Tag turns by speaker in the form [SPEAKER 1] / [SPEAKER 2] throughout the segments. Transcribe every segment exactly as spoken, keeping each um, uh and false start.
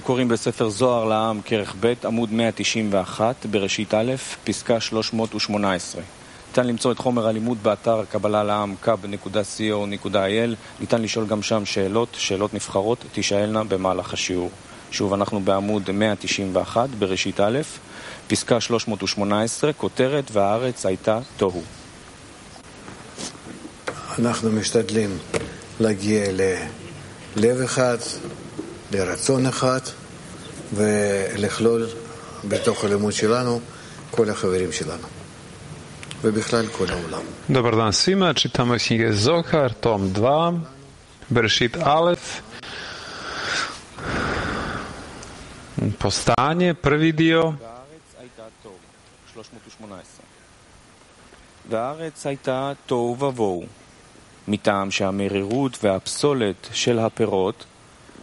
[SPEAKER 1] קוראים בספר זוהר לעם כרך ב' עמוד מאה תשעים ואחת בראשית א' פסקה שלוש מאות ושמונה עשרה. ניתן למצוא את חומר הלימוד באתר קבלה לעם קאב נקודה סי או נקודה איי אל. ניתן לשאול גם שם שאלות, שאלות נבחרות תשאלנה במהלך השיעור. שוב, אנחנו בעמוד מאה תשעים ואחת בראשית א' פסקה שלוש מאות ושמונה עשרה, כותרת והארץ הייתה תוהו.
[SPEAKER 2] אנחנו משתדלים להגיע ללב אחד, לרצון אחד, ולכלול בתוך הלימוד שלנו כל החברים שלנו. ובכלל כל העולם.
[SPEAKER 3] Dobar dan svima, čitamo iz knjige Zohar, tom dva, Berešit Alef, postanje, prvi dio.
[SPEAKER 1] והארץ הייתה תוהו ובוהו, מטעם שהמרירות והפסולת של הפירות,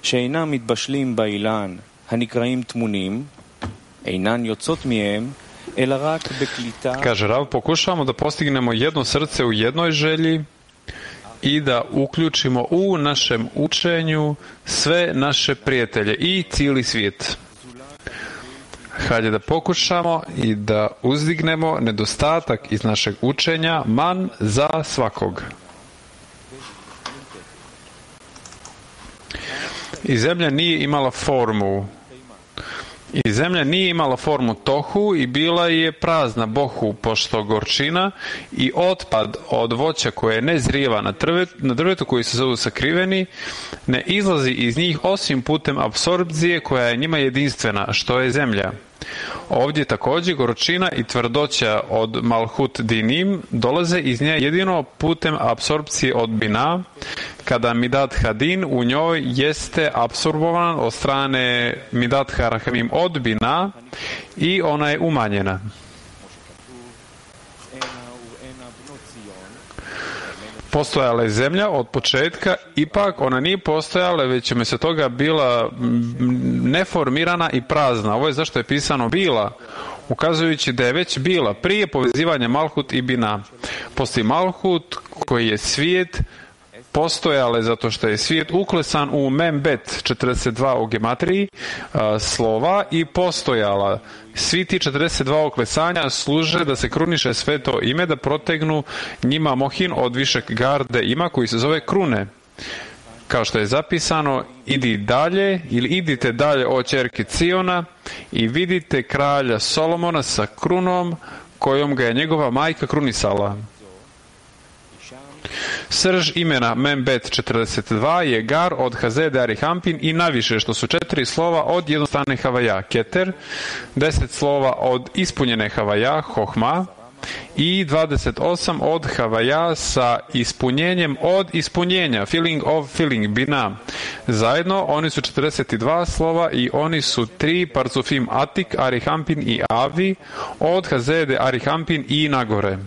[SPEAKER 1] שאינם מתבשלים באילן, הנקראים תמונים, אינן יוצאות מהם, אלא רק בקליטה.
[SPEAKER 3] Kaže Rav, pokušavamo da postignemo jedno srce u jednoj želji i da uključimo u našem učenju sve naše prijatelje i cijeli svijet. Hajde da pokušamo i da uzdignemo nedostatak iz našeg učenja man za svakog. I zemlja nije imala formu. I zemlja nije imala formu tohu i bila je prazna bohu, pošto gorčina i otpad od voća koje ne zrijeva na, trvet, na drvetu koji se zovu sakriveni, ne izlazi iz njih osim putem apsorpcije koja je njima jedinstvena, što je zemlja. Ovdje također gorčina i tvrdoća od Malhut Dinim dolaze iz nje jedino putem apsorpcije od Bina, kada Midat Hadin u njoj jeste apsorbovan od strane Midat Harachamim od Bina i ona je umanjena. Postojala je zemlja od početka, ipak ona nije postojala, već je se toga bila neformirana i prazna. Ovo je zašto je pisano bila, ukazujući da je već bila prije povezivanja Malhut i Bina. Postoji Malhut koji je svijet, postojale zato što je svijet uklesan u Membet četrdeset dva u gematriji a, slova i postojala. Svi ti četrdeset dva uklesanja služe da se kruniše sveto ime, da protegnu njima mohin od višeg garde ima koji se zove krune. Kao što je zapisano, idi dalje ili idite dalje o ćerki Ciona i vidite kralja Solomona sa krunom kojom ga je njegova majka krunisala. Srž imena Membet četrdeset dva je Gar od Hazede Arihampin i naviše, što su četiri slova od jednostavne Havaja, Keter, deset slova od ispunjene Havaja, Hohma, i dvadeset osam od Havaja sa ispunjenjem od ispunjenja, feeling of feeling, Bina. Zajedno oni su četrdeset dva slova i oni su tri parcufim Atik, Arihampin i Avi od Hazede Arihampin i nagore.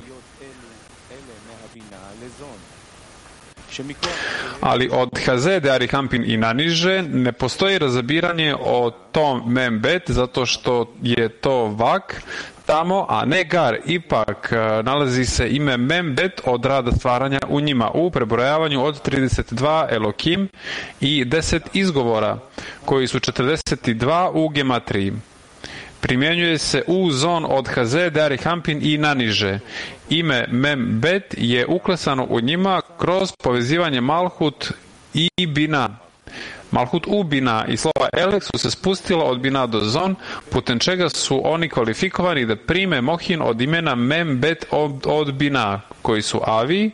[SPEAKER 3] Ali od Hazede Arihampin i naniže ne postoji razabiranje o tom Membet, zato što je to vak tamo, a ne gar. Ipak nalazi se ime Membet od rada stvaranja u njima, u prebrojavanju od trideset dva Elokim i deset izgovora, koji su četrdeset dva u gematriji. Primjenjuje se u zon od Hazede Arihampin i naniže. Ime Membet je uklesano u njima kroz povezivanje Malhut i Bina. Malhut u Bina i slova Elek su se spustila od Bina do zon, putem čega su oni kvalifikovani da prime mohin od imena Membet od, od Bina, koji su Avi.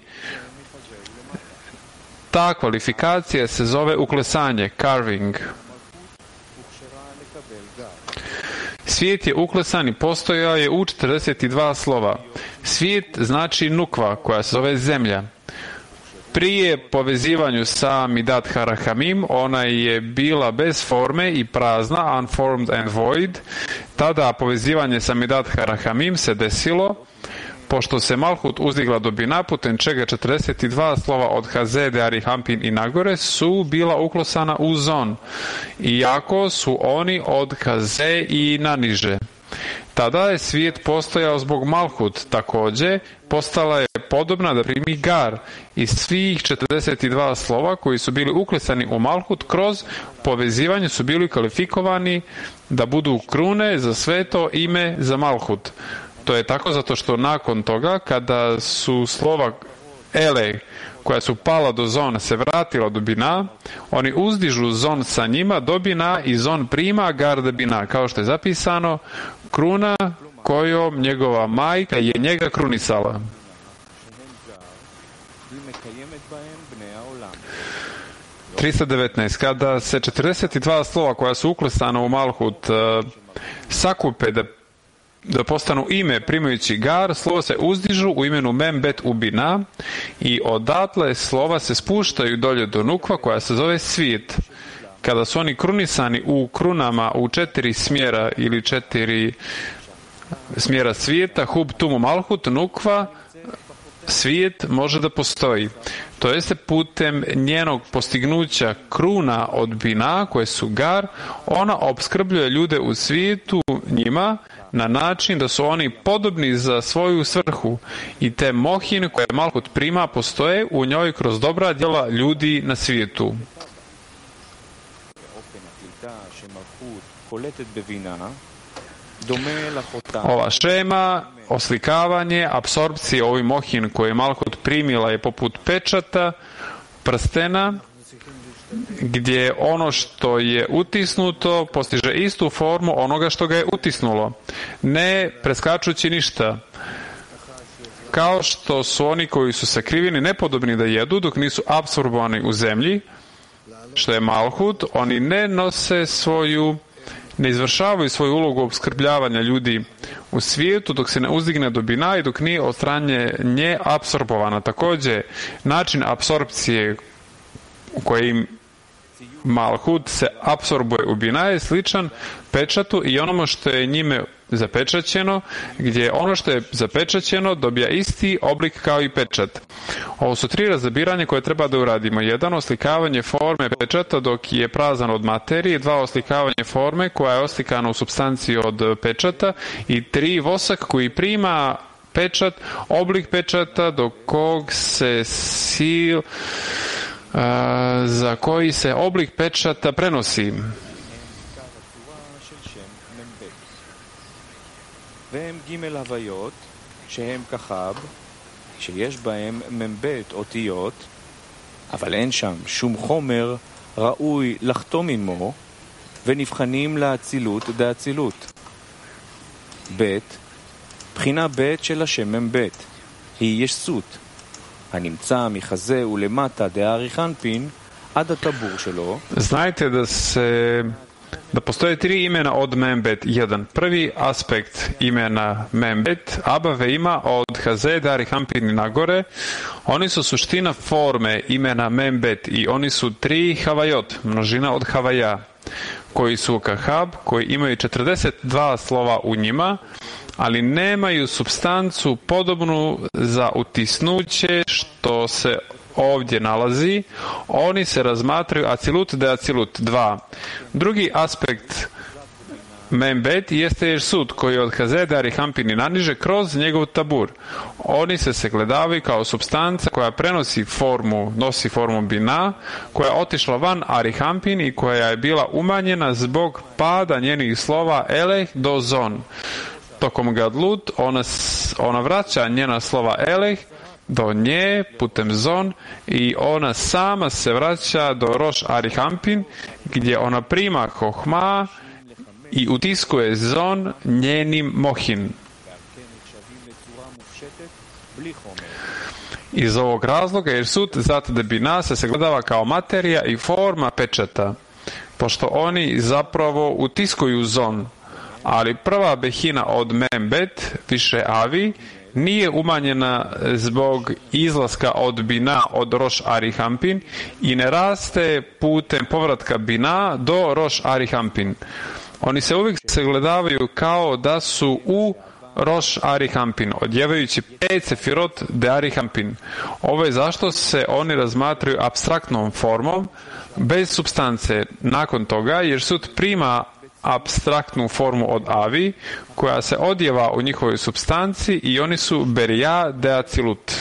[SPEAKER 3] Ta kvalifikacija se zove uklesanje, carving. Svijet je uklesan i postojao je u četrdeset dva slova. Svijet znači nukva, koja se zove zemlja. Prije povezivanju sa Midat Harachamim, ona je bila bez forme i prazna, unformed and void. Tada povezivanje sa Midat Harachamim se desilo, pošto se Malhut uzdigla do Bina, putem čega četrdeset dva slova od Hazede, Arihampin i nagore su bila uklesana u zon, iako su oni od Haze i naniže. Tada je svijet postojao zbog Malhut, također postala je podobna da primi gar i svih četrdeset dva slova koji su bili uklesani u Malhut kroz povezivanje su bili kvalifikovani da budu krune za sveto ime za Malhut. To je tako zato što nakon toga kada su slova Ele koja su pala do zona se vratila do bina, oni uzdižu zon sa njima do bina i zon prima gar da bina, kao što je zapisano, kruna kojom njegova majka je njega krunisala. trista devetnaest. Kada se četrdeset dva slova koja su uklesana u Malhut uh, sakupe da da postanu ime primajući gar, slova se uzdižu u imenu Membet u bina i odatle slova se spuštaju dolje do nukva koja se zove svijet. Kada su oni krunisani u krunama u četiri smjera ili četiri smjera svijeta, hub, tumu, malhut, nukva, svijet može da postoji. To jeste putem njenog postignuća kruna od bina koje su gar, ona opskrbljuje ljude u svijetu njima na način da su oni podobni za svoju svrhu i te mohin koje Malhut prima postoje u njoj kroz dobra djela ljudi na svijetu. Ova šema, oslikavanje, apsorpcije ovih mohin koje Malhut primila je poput pečata, prstena, gdje ono što je utisnuto postiže istu formu onoga što ga je utisnulo, ne preskačući ništa. Kao što su oni koji su sakriveni nepodobni da jedu dok nisu apsorbovani u zemlji, što je Malhut, oni ne nose svoju ne izvršavaju svoju ulogu opskrbljavanja ljudi u svijetu dok se ne uzdigne do bina i dok nije od strane nje apsorbovana. Također, način apsorpcije u kojim Malhut se apsorbuje u bina je sličan pečatu i onomu što je njime zapečaćeno, gdje ono što je zapečaćeno dobija isti oblik kao i pečat. Ovo su tri razabiranja koje treba da uradimo. Jedan, oslikavanje forme pečata dok je prazan od materije. Dva, oslikavanje forme koja je oslikana u supstanciji od pečata. I tri, vosak koji prima pečat, oblik pečata do kog se sil Uh, za koji se oblik pečata prenosi.
[SPEAKER 1] והם ג' הוויות שהם כחב שיש בהם מבית אותיות אבל אין שם שום חומר ראוי לחתום עמו ונבחנים לאצילות דאצילות. ב' בחינה ב' של השם מבית היא ישות הנמצא מחזה ולמטה דאריך אנפין עד הטבור שלו.
[SPEAKER 3] Znajte da se da postoje tri imena od Membet. Jedan, prvi aspekt imena Membet, Abave ima od Haze Darih Ampin nagore. Oni su suština forme imena Membet i oni su tri Havajot, množina od Havaja, koji su Kahab, koji imaju četrdeset dva slova u njima, ali nemaju supstancu podobnu za utisnuće što se ovdje nalazi. Oni se razmatraju acilut de acilut dva. Drugi aspekt Membet jeste Jersut koji od Hazeda Arihampini naniže kroz njegov tabur. Oni se sagledavaju kao supstanca koja prenosi formu, nosi formu bina, koja je otišla van Arihampin i koja je bila umanjena zbog pada njenih slova eleh do zon. Tokom Gadlut ona, ona vraća njena slova eleh do nje putem zon i ona sama se vraća do Roš Arihampin gdje ona prima hohma i utiskuje zon njenim mohin. Iz ovog razloga jer sud zato da bina se sagledava kao materija i forma pečata, pošto oni zapravo utiskuju zon, ali prva behina od Membet, više avi, nije umanjena zbog izlaska od bina od Roš Arihampin i ne raste putem povratka bina do Roš Arihampin. Oni se uvijek sagledavaju kao da su u Roš Arihampin, odjevajući pet sefirot de Arihampin. Ovo je zašto se oni razmatraju apstraktnom formom, bez supstance. Nakon toga, jer sud prima apstraktnu formu od avi, koja se odjeva u njihovoj supstanci i oni su berija de acilut.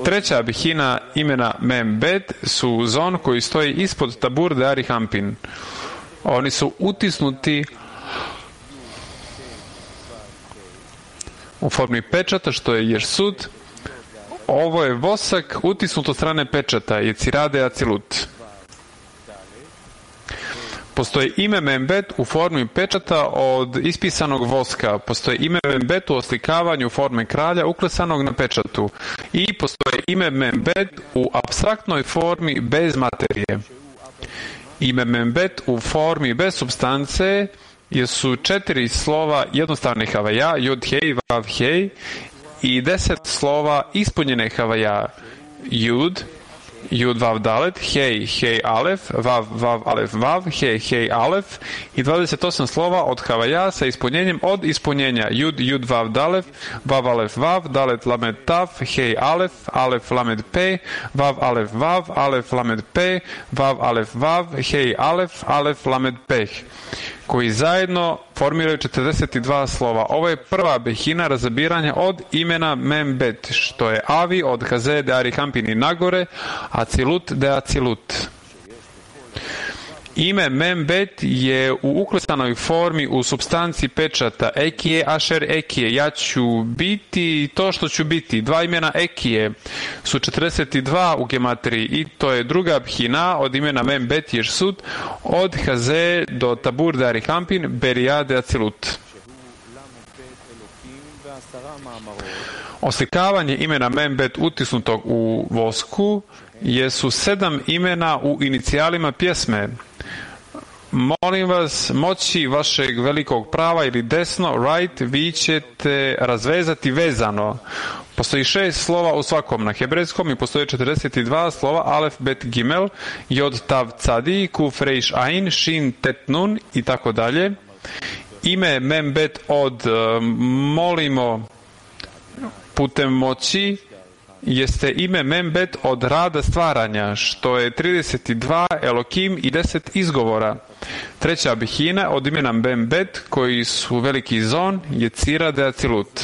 [SPEAKER 3] Treća bihina imena Membet su zon koji stoji ispod tabur de Ari Hampin. Oni su utisnuti u formi pečata, što je Jersud. Ovo je vosak utisnut od strane pečata, je Cirade Acilut. Postoji ime Membet u formi pečata od ispisanog voska. Postoji ime Membet u oslikavanju forme kralja uklesanog na pečatu. I postoji ime Membet u apstraktnoj formi bez materije. Ime Membet u formi bez substance jesu četiri slova jednostavne havaja, jod hej, vav hej, i deset slova ispunjene havaja, jud, jud vav dalet, hej, hej alef, vav, vav alef vav, hej, hej alef, i dvadeset osam slova od havaja sa ispunjenjem od ispunjenja, jud, jud vav dalef, vav alef vav, dalet lamed taf, hej alef, alef lamed pe, vav alef vav, alef lamed pe, vav alef vav, hej alef, alef lamed peh, koji zajedno formiraju četrdeset dva slova. Ovo je prva behina razabiranja od imena Membet, što je Avi od Haze de Ari Hampin i nagore, Acilut de Acilut. Ime Membet je u uklesanoj formi u supstanci pečata Ekije, Ašer Ekije, ja ću biti to što ću biti. Dva imena Ekije su četrdeset dva u gematriji i to je druga bhina od imena Membet Jersud od Haze do Tabur de Ari Hampin, Berija de Acilut. Oslikavanje imena Membet utisnutog u vosku jesu sedam imena u inicijalima pjesme. Molim vas, moći vašeg velikog prava ili desno, right, vi ćete razvezati vezano. Postoji šest slova u svakom na hebrejskom i postoji četrdeset dva slova alef, bet, gimel, jod, tav, cadi, kuf, reiš, ain, shin, tet, nun i tako dalje. Ime Membet od molimo putem moći jeste ime Membet od rada stvaranja, što je trideset dva Elokim i deset izgovora. Treća bihina od imena Membet, koji su veliki zon, je Cira de Acilut.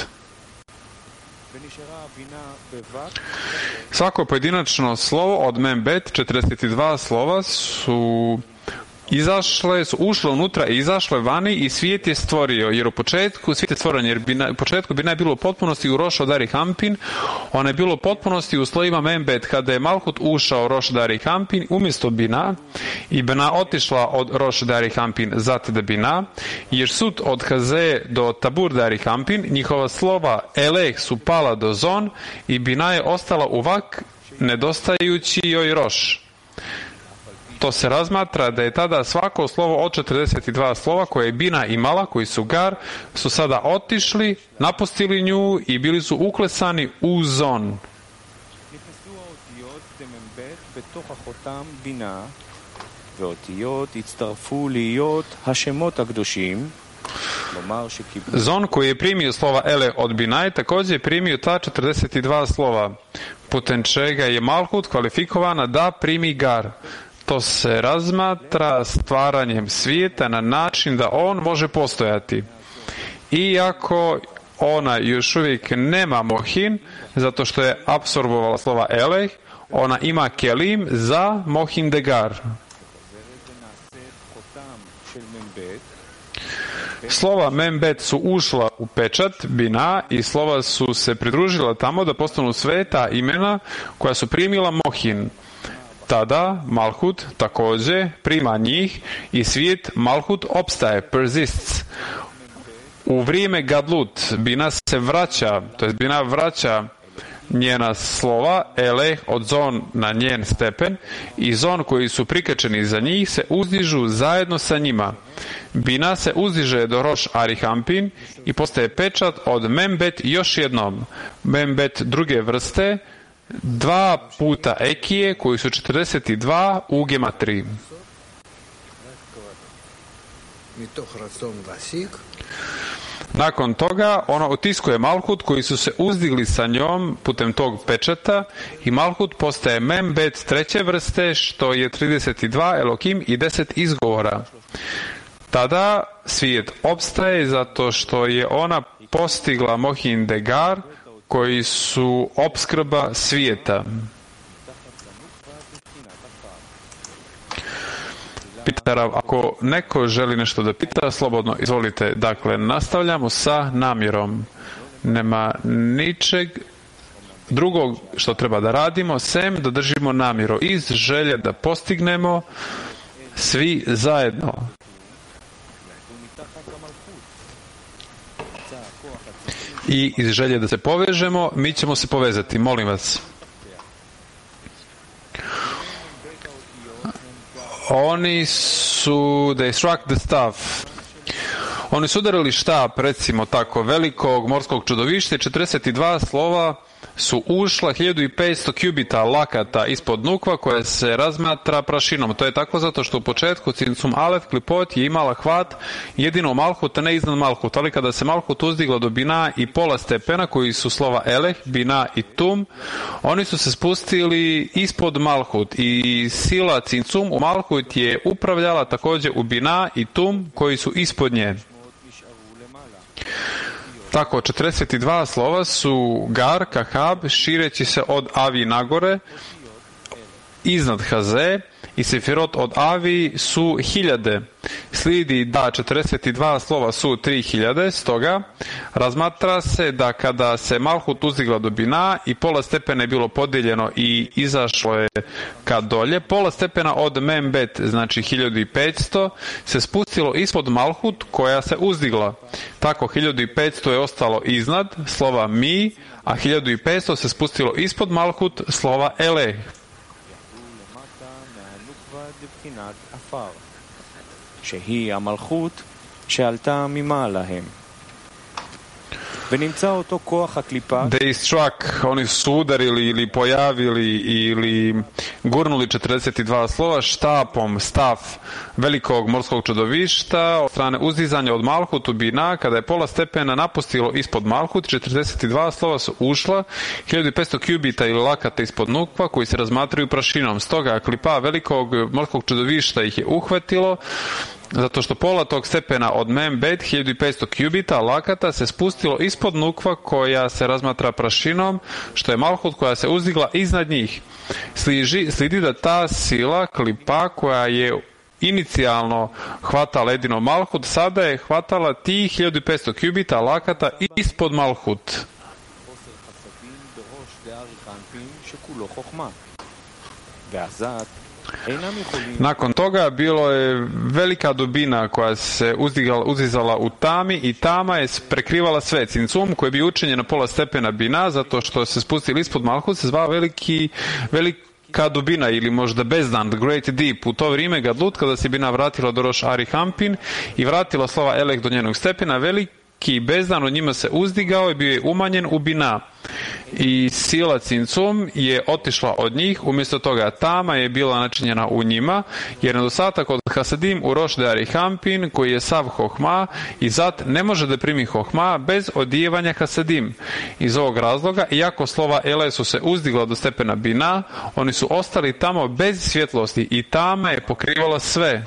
[SPEAKER 3] Svako pojedinačno slovo od Membet, četrdeset dva slova, su izašle, su ušle unutra i izašle vani i svijet je stvorio, jer u početku svijet je stvoren, jer bi na, u početku Bina je bilo u potpunosti u Roš Dari Hampin, ona je bilo u potpunosti u slojima Membet. Kada je Malhut ušao u Roš Dari Hampin umjesto Bina i Bina otišla od Roš Dari Hampin zat de Bina, jer sud od Haze do Tabur Dari Hampin, njihova slova Eleh su pala do Zon i Bina je ostala uvak nedostajući joj Roš. To se razmatra da je tada svako slovo od četrdeset dva slova koje je Bina imala, koji su gar, su sada otišli, napustili nju i bili su uklesani u zon. Zon koji je primio slova Ele od Binaj također je primio ta četrdeset dva slova, putem čega je Malhut kvalifikovana da primi gar. To se razmatra stvaranjem svijeta na način da on može postojati. Iako ona još uvijek nema mohin, zato što je apsorbovala slova Eleh, ona ima kelim za mohin de gar. Slova Membet su ušla u pečat Bina i slova su se pridružila tamo da postanu sveta imena koja su primila mohin. Tada Malhut također prima njih i svijet Malhut opstaje, persists. U vrijeme Gadlut Bina se vraća, to jest Bina vraća njena slova, Eleh od zon na njen stepen i zon koji su prikačeni za njih se uzdižu zajedno sa njima. Bina se uzdiže do Roš Ari Hampin i postaje pečat od Membet još jednom. Membet druge vrste, dva puta Ekije koji su četrdeset dva u gematriji. Nakon toga ona otiskuje Malhut koji su se uzdigli sa njom putem tog pečata i Malhut postaje Membet treće vrste, što je trideset dva Elokim i deset izgovora. Tada svijet opstaje zato što je ona postigla Mohin Degar, koji su opskrba svijeta. Pitarav, ako neko želi nešto da pita, slobodno izvolite. Dakle, nastavljamo sa namjerom. Nema ničeg drugog što treba da radimo, sem da držimo namjeru iz želje da postignemo svi zajedno. I iz želje da se povežemo, mi ćemo se povezati. Molim vas. Oni su, they struck the staff. Oni su udarili štap, recimo tako, velikog morskog čudovišta i četrdeset dva slova su ušla hiljadu petsto kubita lakata ispod nukva koja se razmatra prašinom. To je tako zato što u početku Cincum Alef Klipot je imala hvat jedino Malhut, a ne iznad Malhut. Ali kada se Malhut uzdigla do Bina i pola stepena, koji su slova Eleh, Bina i Tum, oni su se spustili ispod Malhut i sila Cincum u Malhut je upravljala također u Bina i Tum, koji su ispod nje. Tako, četrdeset dva slova su Gar, Kahab, šireći se od Avi nagore, iznad Haze, i Sefirot od Avi su hiljade. Slijedi da četrdeset dva slova su tri hiljade, stoga razmatra se da kada se Malhut uzdigla do Bina i pola stepena je bilo podijeljeno i izašlo je ka dolje, pola stepena od Membet, znači hiljadu petsto, se spustilo ispod Malhut koja se uzdigla. Tako, hiljadu petsto je ostalo iznad slova Mi, a hiljadu petsto se spustilo ispod Malhut slova Eleh.
[SPEAKER 1] שהיא המלכות שעלתה ממעלה הם. ונמצא אותו כוח הקליפה.
[SPEAKER 3] They struck, oni su udarili ili pojavili ili gurnuli četrdeset dva slova štapom staf velikog morskog čudovišta od strane uzdizanja od Malhut u Bina. Kada je pola stepena napustilo ispod Malhut, četrdeset dva slova su ušla, hiljadu petsto kubita ili lakata ispod nukva koji se razmatraju prašinom. Stoga klipa velikog morskog čudovišta ih je uhvatilo, zato što pola tog stepena od Membet, hiljadu petsto kubita lakata, se spustilo ispod nukva koja se razmatra prašinom, što je Malhut koja se uzdigla iznad njih. Sliži, slidi da ta sila klipa koja je inicijalno hvatala jedino Malhut, sada je hvatala tih hiljadu petsto kubita lakata ispod Malhut. Nakon toga bilo je velika dubina koja se uzdigala, uzdizala u tami i tama je prekrivala sve. Cincum koji je bio učinjen na pola stepena Bina, zato što se spustili ispod Malhut, se zvao veliki, velika dubina ili možda bezdan, the great deep. U to vrijeme Gadlut, kada se Bina vratila do Roš Ari Hampin i vratila slova Eleh do njenog stepena, veliki bezdan od njima se uzdigao i bio je umanjen u Bina. I sila Cincum je otišla od njih, umjesto toga tama je bila načinjena u njima, jer nedostatak od Hasadim u Roš Deari Hampin, koji je sav Hohma, i zat ne može da primi Hohma bez odijevanja Hasadim. Iz ovog razloga, iako slova Ele su se uzdigla do stepena Bina, oni su ostali tamo bez svjetlosti i tama je pokrivala sve.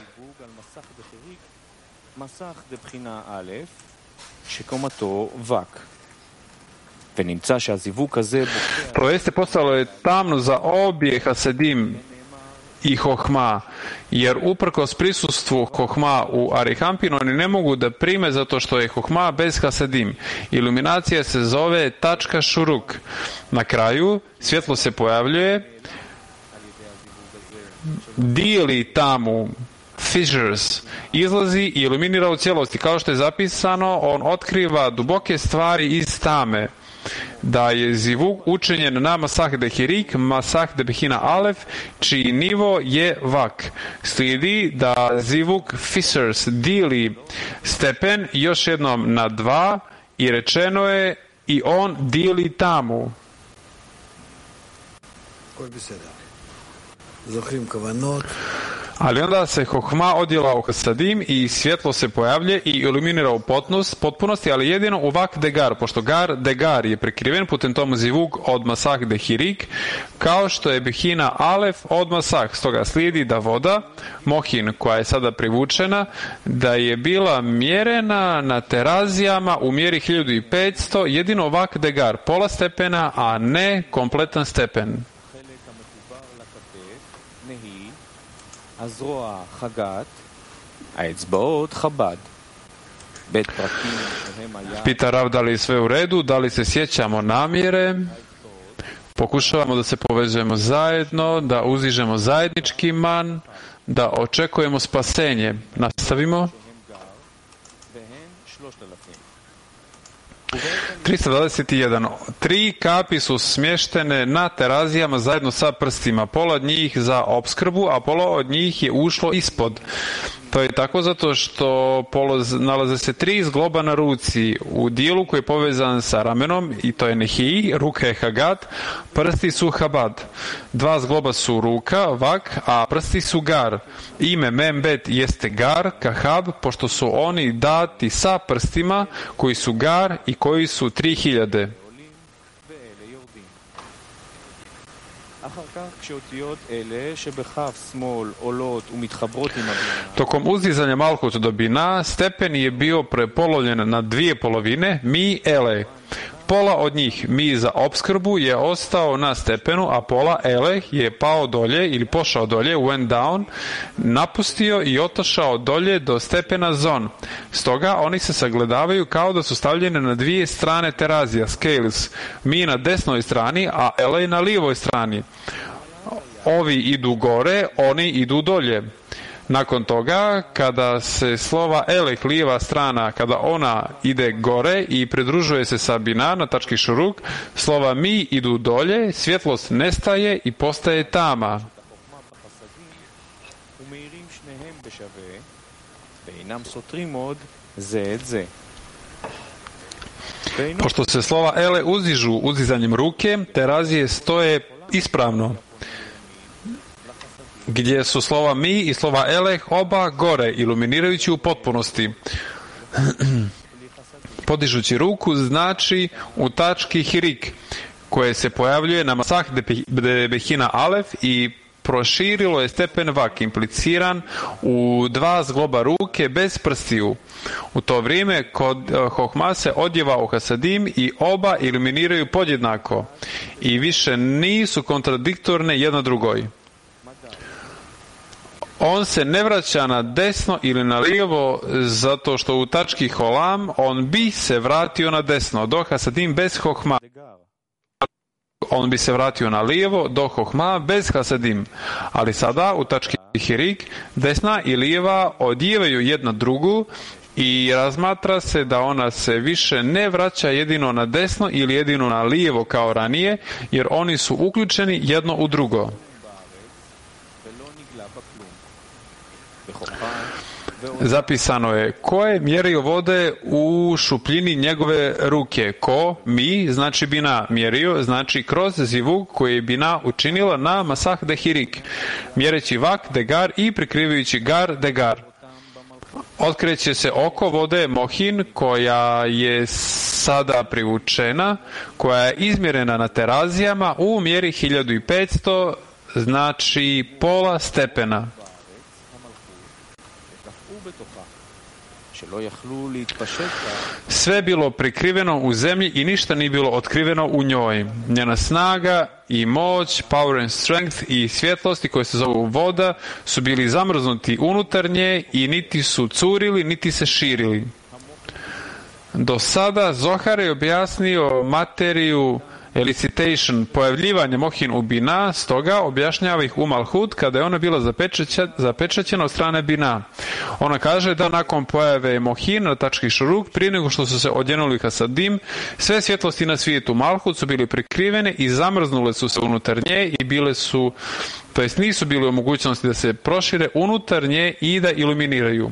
[SPEAKER 3] To jeste, postalo je tamno za obje Hasadim i Hohma, jer uprkos prisustvu Hohma u Arihampinu oni ne mogu da prime zato što je Hohma bez Hasadim. Iluminacija se zove tačka šuruk. Na kraju svjetlo se pojavljuje, dijeli tamu, fissures, izlazi i iluminira u cijelosti. Kao što je zapisano, on otkriva duboke stvari iz tame. Da je zivuk učinjen na Masah de Hirik, Masah de Behina Alef, čiji nivo je vak. Slijedi da zivuk fissures dijeli stepen još jednom na dva i rečeno je i on dijeli tamu. Ali onda se Hohma odjela u Hasadim i svjetlo se pojavlje i iluminira u potpunosti, ali jedino u Vak Degar, pošto Gar Degar je prekriven putem tomu zivug od Masah Dehirik, kao što je Behina Alef od Masah. Stoga slijedi da voda, Mohin, koja je sada privučena, da je bila mjerena na terazijama u mjeri hiljadu petsto, jedino Vak Degar, pola stepena, a ne kompletan stepen.
[SPEAKER 1] הזרוע חגת, האצבעות חב"ד. בית פרקים שהם היה...
[SPEAKER 3] Pita Rav da li je sve u redu, da li se sjećamo namjere, pokušavamo da se povezujemo zajedno, da uzižemo zajednički man, da očekujemo spasenje. Nastavimo. trista dvadeset jedan. Tri kapi su smještene na terazijama zajedno sa prstima. Pola od njih za opskrbu, a pola od njih je ušlo ispod. To je tako zato što poloz, nalaze se tri zgloba na ruci u dijelu koji je povezan sa ramenom, i to je Nehi, ruka je Hagat, prsti su Habad. Dva zgloba su ruka, Vak, a prsti su Gar. Ime Membet jeste Gar, Kahab, pošto su oni dati sa prstima koji su Gar i koji su tri hiljade. Tokom uzdizanja Malhut do Bina, stepen je bio prepolovljen na dvije polovine, mi ele. Pola od njih, mi za opskrbu, je ostao na stepenu, a pola ele je pao dolje ili pošao dolje, went down, napustio i otišao dolje do stepena zon. Stoga oni se sagledavaju kao da su stavljene na dvije strane terazija, scales, mi na desnoj strani, a ele na lijevoj strani. Ovi idu gore, oni idu dolje. Nakon toga, kada se slova elek, lijeva strana, kada ona ide gore i pridružuje se sa Bina na tački šuruk, slova mi idu dolje, svjetlost nestaje i postaje tama. Pošto se slova ele uzižu uzizanjem ruke, terazije stoje ispravno, gdje su slova mi i slova eleh oba gore, iluminirajući u potpunosti. Podižući ruku znači u tački hirik, koje se pojavljuje na Masah de Behina Alef i proširilo je stepen Vak, impliciran u dva zgloba ruke bez prstiju. U to vrijeme kod Hohma se odjeva u Hasadim i oba iluminiraju podjednako i više nisu kontradiktorne jedna drugoj. On se ne vraća na desno ili na lijevo zato što u tački Holam on bi se vratio na desno, do Hasadim bez Hohma. On bi se vratio na lijevo do Hohma bez Hasadim. Ali sada u tački Hirik desna i lijeva odjevaju jedna drugu i razmatra se da ona se više ne vraća jedino na desno ili jedino na lijevo kao ranije, jer oni su uključeni jedno u drugo. Zapisano je, ko je mjerio vode u šupljini njegove ruke? Ko? Mi, znači Bina mjerio, znači kroz zivug koji je Bina učinila na Masah de Hirik, mjereći Vak Degar i prikrivajući Gar Degar. Otkreće se oko vode Mohin, koja je sada privučena, koja je izmjerena na terazijama u mjeri hiljadu petsto, znači pola stepena. Sve bilo prikriveno u zemlji i ništa nije bilo otkriveno u njoj. Njena snaga i moć, power and strength i svjetlosti koje se zovu voda su bili zamrznuti unutar nje i niti su curili, niti se širili. Do sada Zohar je objasnio materiju elicitation, pojavljivanje Mohin u Bina, stoga objašnjava ih u Malhut kada je ona bila zapečaćena od strane Bina. Ona kaže da nakon pojave Mohin na tački šuruk, prije nego što su se odjenuli Hasadim, sve svjetlosti na svijetu Malhut su bili prikrivene i zamrznule su se unutar nje i bile su, to jest nisu bile u mogućnosti da se prošire unutar nje i da iluminiraju.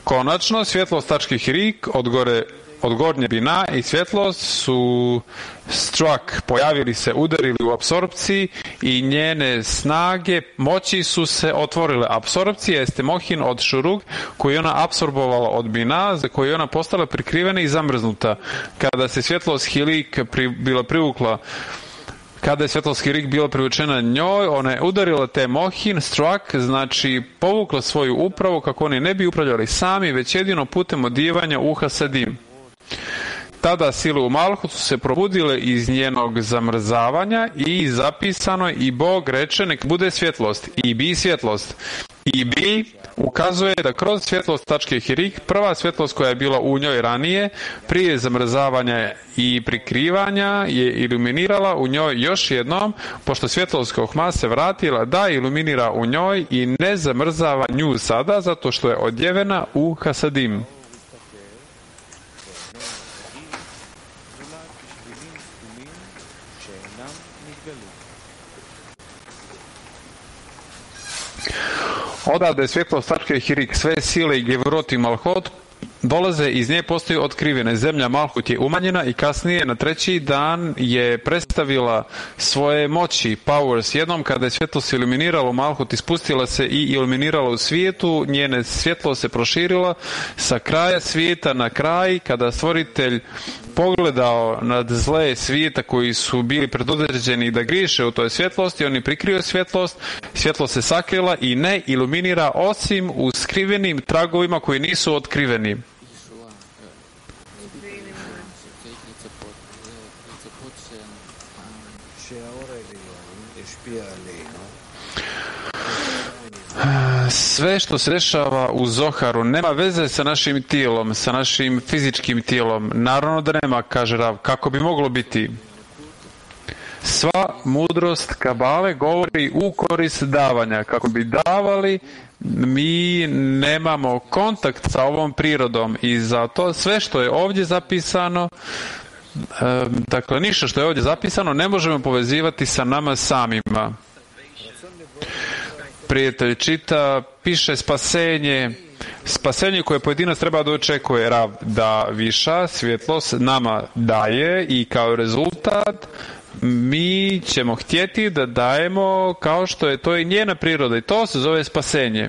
[SPEAKER 3] Konačno, svjetlost tački Hirik od gore od gornje bina i svjetlost su struck, pojavili se, udarili u apsorpciji i njene snage, moći su se otvorile. Apsorpcija jeste mohin od šurug koju je ona apsorbovala od bina, za koju je ona postala prikrivena i zamrznuta. Kada se svjetlost hilik pri, bila privukla Kada je svjetlost hilik bila privučena njoj, ona je udarila te mohin, struck, znači povukla svoju upravu kako oni ne bi upravljali sami, već jedino putem odijevanja u hasadim. Tada sile u Malhut su se probudile iz njenog zamrzavanja i zapisano i Bog reče nek bude svjetlost i bi svjetlost. I bi ukazuje da kroz svjetlost tačke hirik, prva svjetlost koja je bila u njoj ranije, prije zamrzavanja i prikrivanja, je iluminirala u njoj još jednom, pošto svjetlost Kohma se vratila da iluminira u njoj i ne zamrzava nju sada, zato što je odjevena u hasadim. Odavde svjetlost tačke hirik, sve sile i gevrot i malhot dolaze, iz nje postaju otkrivene. Zemlja Malhut je umanjena i kasnije na treći dan je predstavila svoje moći, powers. Jednom kada je svjetlost iluminirala Malhut, ispustila se i iluminirala u svijetu, njene svjetlost se proširila sa kraja svijeta na kraj. Kada stvoritelj pogledao nad zle svijeta koji su bili predodređeni da griješe u toj svjetlosti, on je prikrio svjetlost, svjetlost se sakrila i ne iluminira osim u skrivenim tragovima koji nisu otkriveni. Sve što se dešava u Zoharu nema veze sa našim tijelom, sa našim fizičkim tijelom. Naravno da nema, kaže Rav, kako bi moglo biti. Sva mudrost Kabale govori u korist davanja. Kako bi davali, mi nemamo kontakt sa ovom prirodom i zato sve što je ovdje zapisano, dakle ništa što je ovdje zapisano ne možemo povezivati sa nama samima. Prijatelj čita, piše spasenje, spasenje koje pojedinac treba da očekuje, Rav, da viša svjetlost nama daje i kao rezultat mi ćemo htjeti da dajemo kao što je to i njena priroda i to se zove spasenje.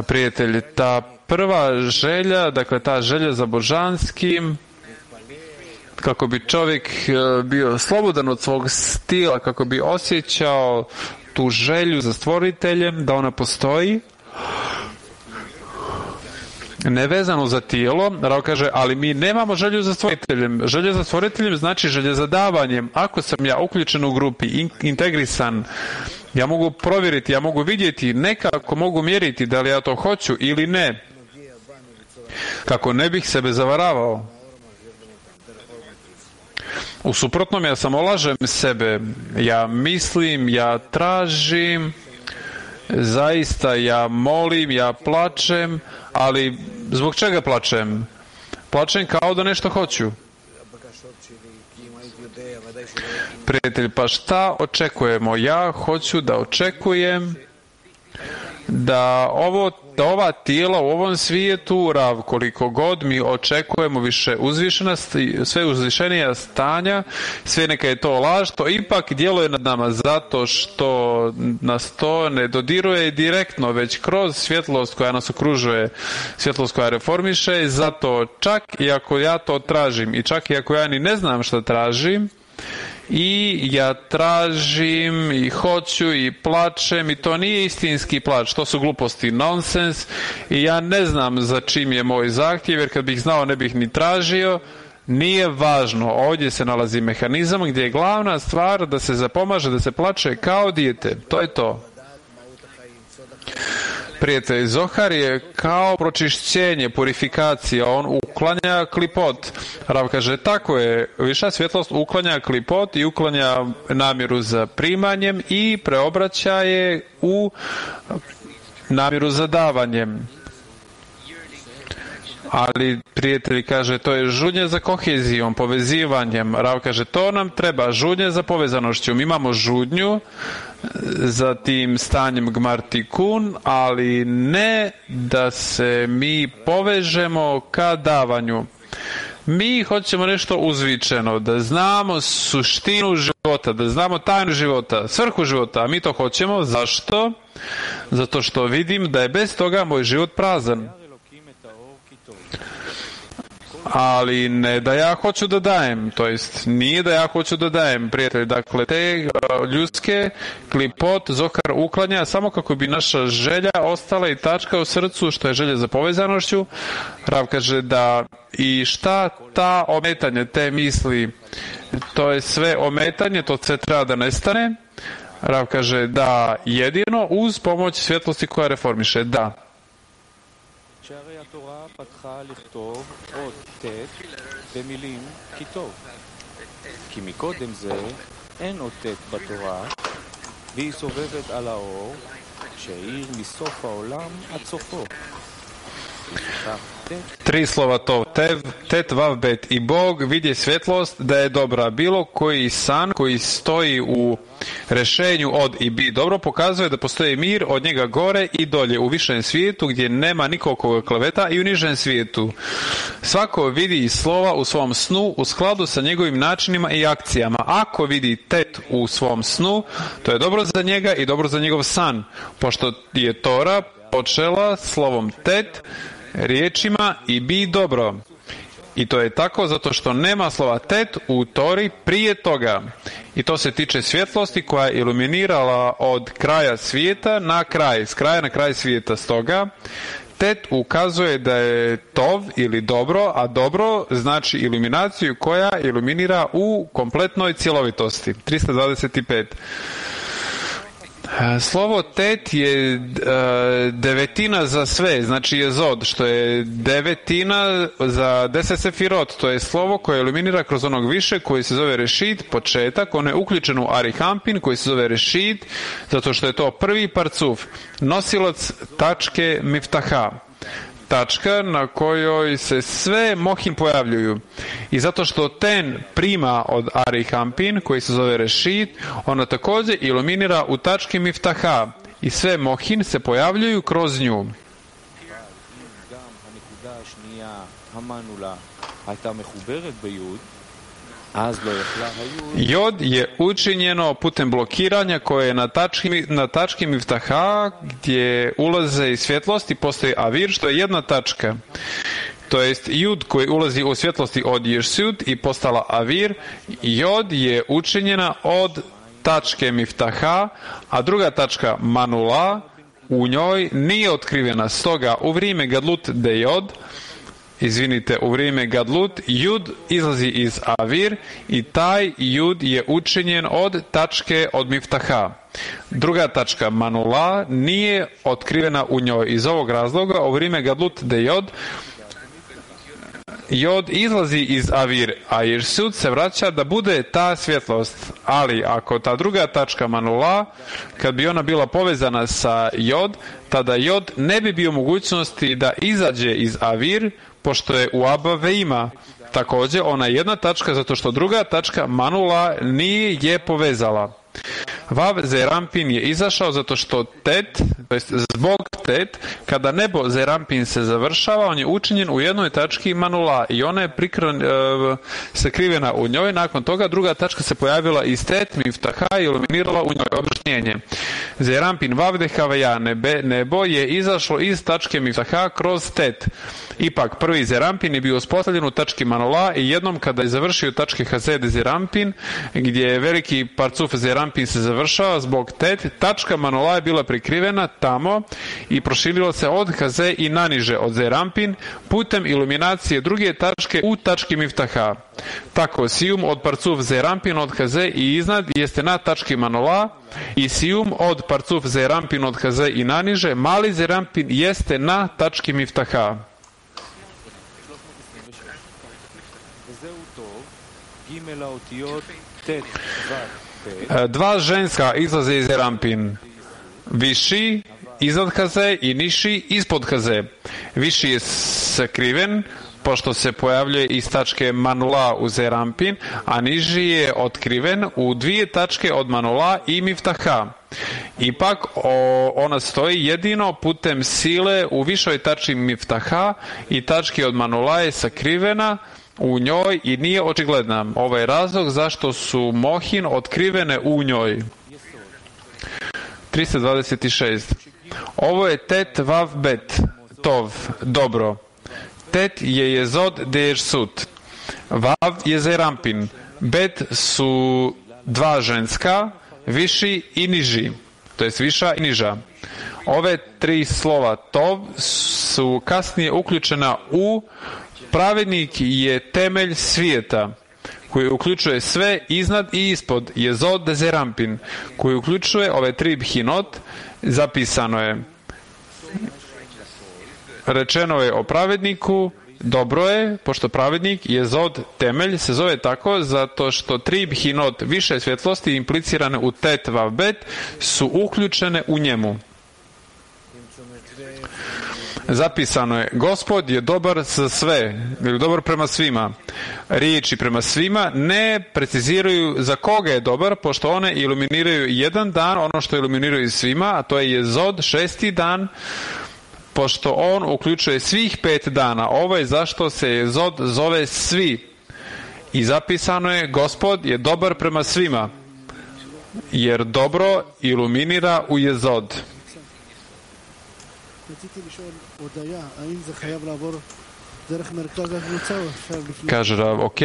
[SPEAKER 3] Prijatelj, ta prva želja, dakle ta želja za božanskim, kako bi čovjek bio slobodan od svog stila, kako bi osjećao tu želju za stvoriteljem, da ona postoji, nevezano za tijelo. Rav kaže, ali mi nemamo želju za stvoriteljem. Želja za stvoriteljem znači želja za davanjem. Ako sam ja uključen u grupi, in, integrisan, ja mogu provjeriti, ja mogu vidjeti, nekako mogu mjeriti da li ja to hoću ili ne, kako ne bih sebe zavaravao. U suprotnom, ja samo lažem sebe, ja mislim, ja tražim, zaista ja molim, ja plačem, ali zbog čega plačem? Plačem kao da nešto hoću. Prijatelj, pa šta očekujemo? Ja hoću da očekujem da ovo da ova tijela u ovom svijetu, Rav, koliko god mi očekujemo više uzvišenost, sve uzvišenija stanja, sve neka je to laž, to ipak djeluje nad nama zato što nas to ne dodiruje direktno, već kroz svjetlost koja nas okružuje, svjetlost koja reformiše, zato čak i ako ja to tražim i čak i ako ja ni ne znam šta tražim, i ja tražim i hoću i plačem i to nije istinski plač, to su gluposti, nonsens i ja ne znam za čim je moj zahtjev, jer kad bih znao ne bih ni tražio. Nije važno, ovdje se nalazi mehanizam gdje je glavna stvar da se zapomaže, da se plače kao dijete, to je to. Prijatelj, Zohar je kao pročišćenje, purifikacija, on uklanja klipot. Rav kaže, tako je, viša svjetlost uklanja klipot i uklanja namjeru za primanjem i preobraća je u namjeru za davanjem. Ali prijatelj kaže, to je žudnje za kohezijom, povezivanjem. Rav kaže, to nam treba, žudnje za povezanošću. Mi imamo žudnju za tim stanjem gmartikun, ali ne da se mi povežemo ka davanju. Mi hoćemo nešto uzvičeno, da znamo suštinu života, da znamo tajnu života, svrhu života, a mi to hoćemo. Zašto? Zato što vidim da je bez toga moj život prazan. Ali ne da ja hoću da dajem, to jest nije da ja hoću da dajem, prijatelji. Dakle, te ljudske klipot Zohar uklanja samo kako bi naša želja ostala i tačka u srcu, što je želja za povezanošću. Rav kaže da i šta ta ometanje, te misli, to je sve ometanje, to sve treba da nestane. Rav kaže da jedino uz pomoć svjetlosti koja reformiše, da.
[SPEAKER 1] שהרי התורה פתחה לכתוב עוד ט' במילים כי טוב. כי מקודם זה אין עוד ט' בתורה, והיא סובבת על האור שהאיר מסוף העולם עד סופו.
[SPEAKER 3] Tri slova to, tev, tet, vav, bet. I Bog vidje svjetlost da je dobra. Bilo koji san koji stoji u rešenju od i bi dobro pokazuje da postoji mir od njega gore i dolje u višem svijetu gdje nema nikog kleveta i u nižem svijetu. Svako vidi slova u svom snu u skladu sa njegovim načinima i akcijama. Ako vidi tet u svom snu, to je dobro za njega i dobro za njegov san, pošto je Tora počela slovom tet, riječima i bi dobro. I to je tako zato što nema slova tet u Tori prije toga. I to se tiče svjetlosti koja je iluminirala od kraja svijeta na kraj, s kraja na kraj svijeta. Stoga tet ukazuje da je tov ili dobro, a dobro znači iluminaciju koja iluminira u kompletnoj cjelovitosti. trista dvadeset pet. Slovo tet je uh, devetina za sve, znači je zod, što je devetina za deset sefirot, to je slovo koje iluminira kroz onog više koji se zove rešit, početak, on je uključen u arihampin koji se zove rešit, zato što je to prvi parcuf, nosilac tačke miftaha. Tačka na kojoj se sve mohin pojavljuju. I zato što ten prima od arihampin, koji se zove rešit, ona također iluminira u tački miftaha. I sve mohin se pojavljuju kroz nju. Jod je učinjeno putem blokiranja koje je na tački, na tački miftaha gdje ulaze i svjetlosti, postoji avir što je jedna tačka. To jest jud koji ulazi u svjetlosti od ješsud i postala avir. Jod je učinjena od tačke miftaha, a druga tačka manula u njoj nije otkrivena. Stoga u vrijeme gadlut de jod, izvinite, u vrijeme gadlut, jud izlazi iz avir i taj jud je učinjen od tačke od miftaha. Druga tačka manula nije otkrivena u njoj. Iz ovog razloga u vrijeme gadlut de jod, jod izlazi iz avir, a ješsud se vraća da bude ta svjetlost. Ali ako ta druga tačka manula, kad bi ona bila povezana sa jod, tada jod ne bi bio mogućnosti da izađe iz avir, pošto je u Abba Veima. Također, ona je jedna tačka, zato što druga tačka manula nije je povezala. Vav Zerampin je izašao zato što tet, to jest zbog tet, kada nebo Zerampin se završava, on je učinjen u jednoj tački manula i ona je prikran, e, sakrivena u njoj. Nakon toga druga tačka se pojavila iz tet miftaha i iluminirala u njoj objašnjenje. Zerampin Vav Dehaveja, nebe, nebo je izašlo iz tačke miftaha kroz tet. Ipak prvi Zerampin je bio uspostavljen u tački manula i jednom kada je završio tačke Hazed Zerampin, gdje je veliki parcuf Zerampin se završava zbog tet, tačka manula je bila prikrivena tamo i proširila se od Haze i naniže od Zerampin putem iluminacije druge tačke u tački miftaha. Tako sijum od parcuf Zerampin od Haze i iznad jeste na tački manula i sijum od parcuf Zerampin od Haze i naniže mali Zerampin jeste na tački miftaha. Dva ženska izlaze iz Zerampin. Viši iznad haze i niši ispod haze. Viši je sakriven, pošto se pojavljuje iz tačke manula u zerampin, a niži je otkriven u dvije tačke od manula i miftaha. Ipak o, ona stoji jedino putem sile u višoj tački miftaha i tački od manula je sakrivena u njoj i nije očigledna. Ovo je razlog zašto su mohin otkrivene u njoj. trista dvadeset šest. Ovo je tet vav bet, tov, dobro. Tet je jezod dejersut. Vav je zerampin. Bet su dva ženska, viši i niži. To jest viša i niža. Ove tri slova tov su kasnije uključena u pravednik je temelj svijeta, koji uključuje sve iznad i ispod, jezod zerampin, koji uključuje ove tri bhinot. Zapisano je, rečeno je o pravedniku, dobro je, pošto pravednik jezod temelj se zove tako zato što tri bhinot više svjetlosti implicirane u tet vav bet su uključene u njemu. Zapisano je, Gospod je dobar za sve, ili dobar prema svima. Riječi prema svima ne preciziraju za koga je dobar, pošto one iluminiraju jedan dan, ono što iluminiraju svima, a to je jezod, šesti dan, pošto on uključuje svih pet dana. Ovo je zašto se jezod zove svi. I zapisano je, Gospod je dobar prema svima, jer dobro iluminira u jezod. Kaže Rav, ok.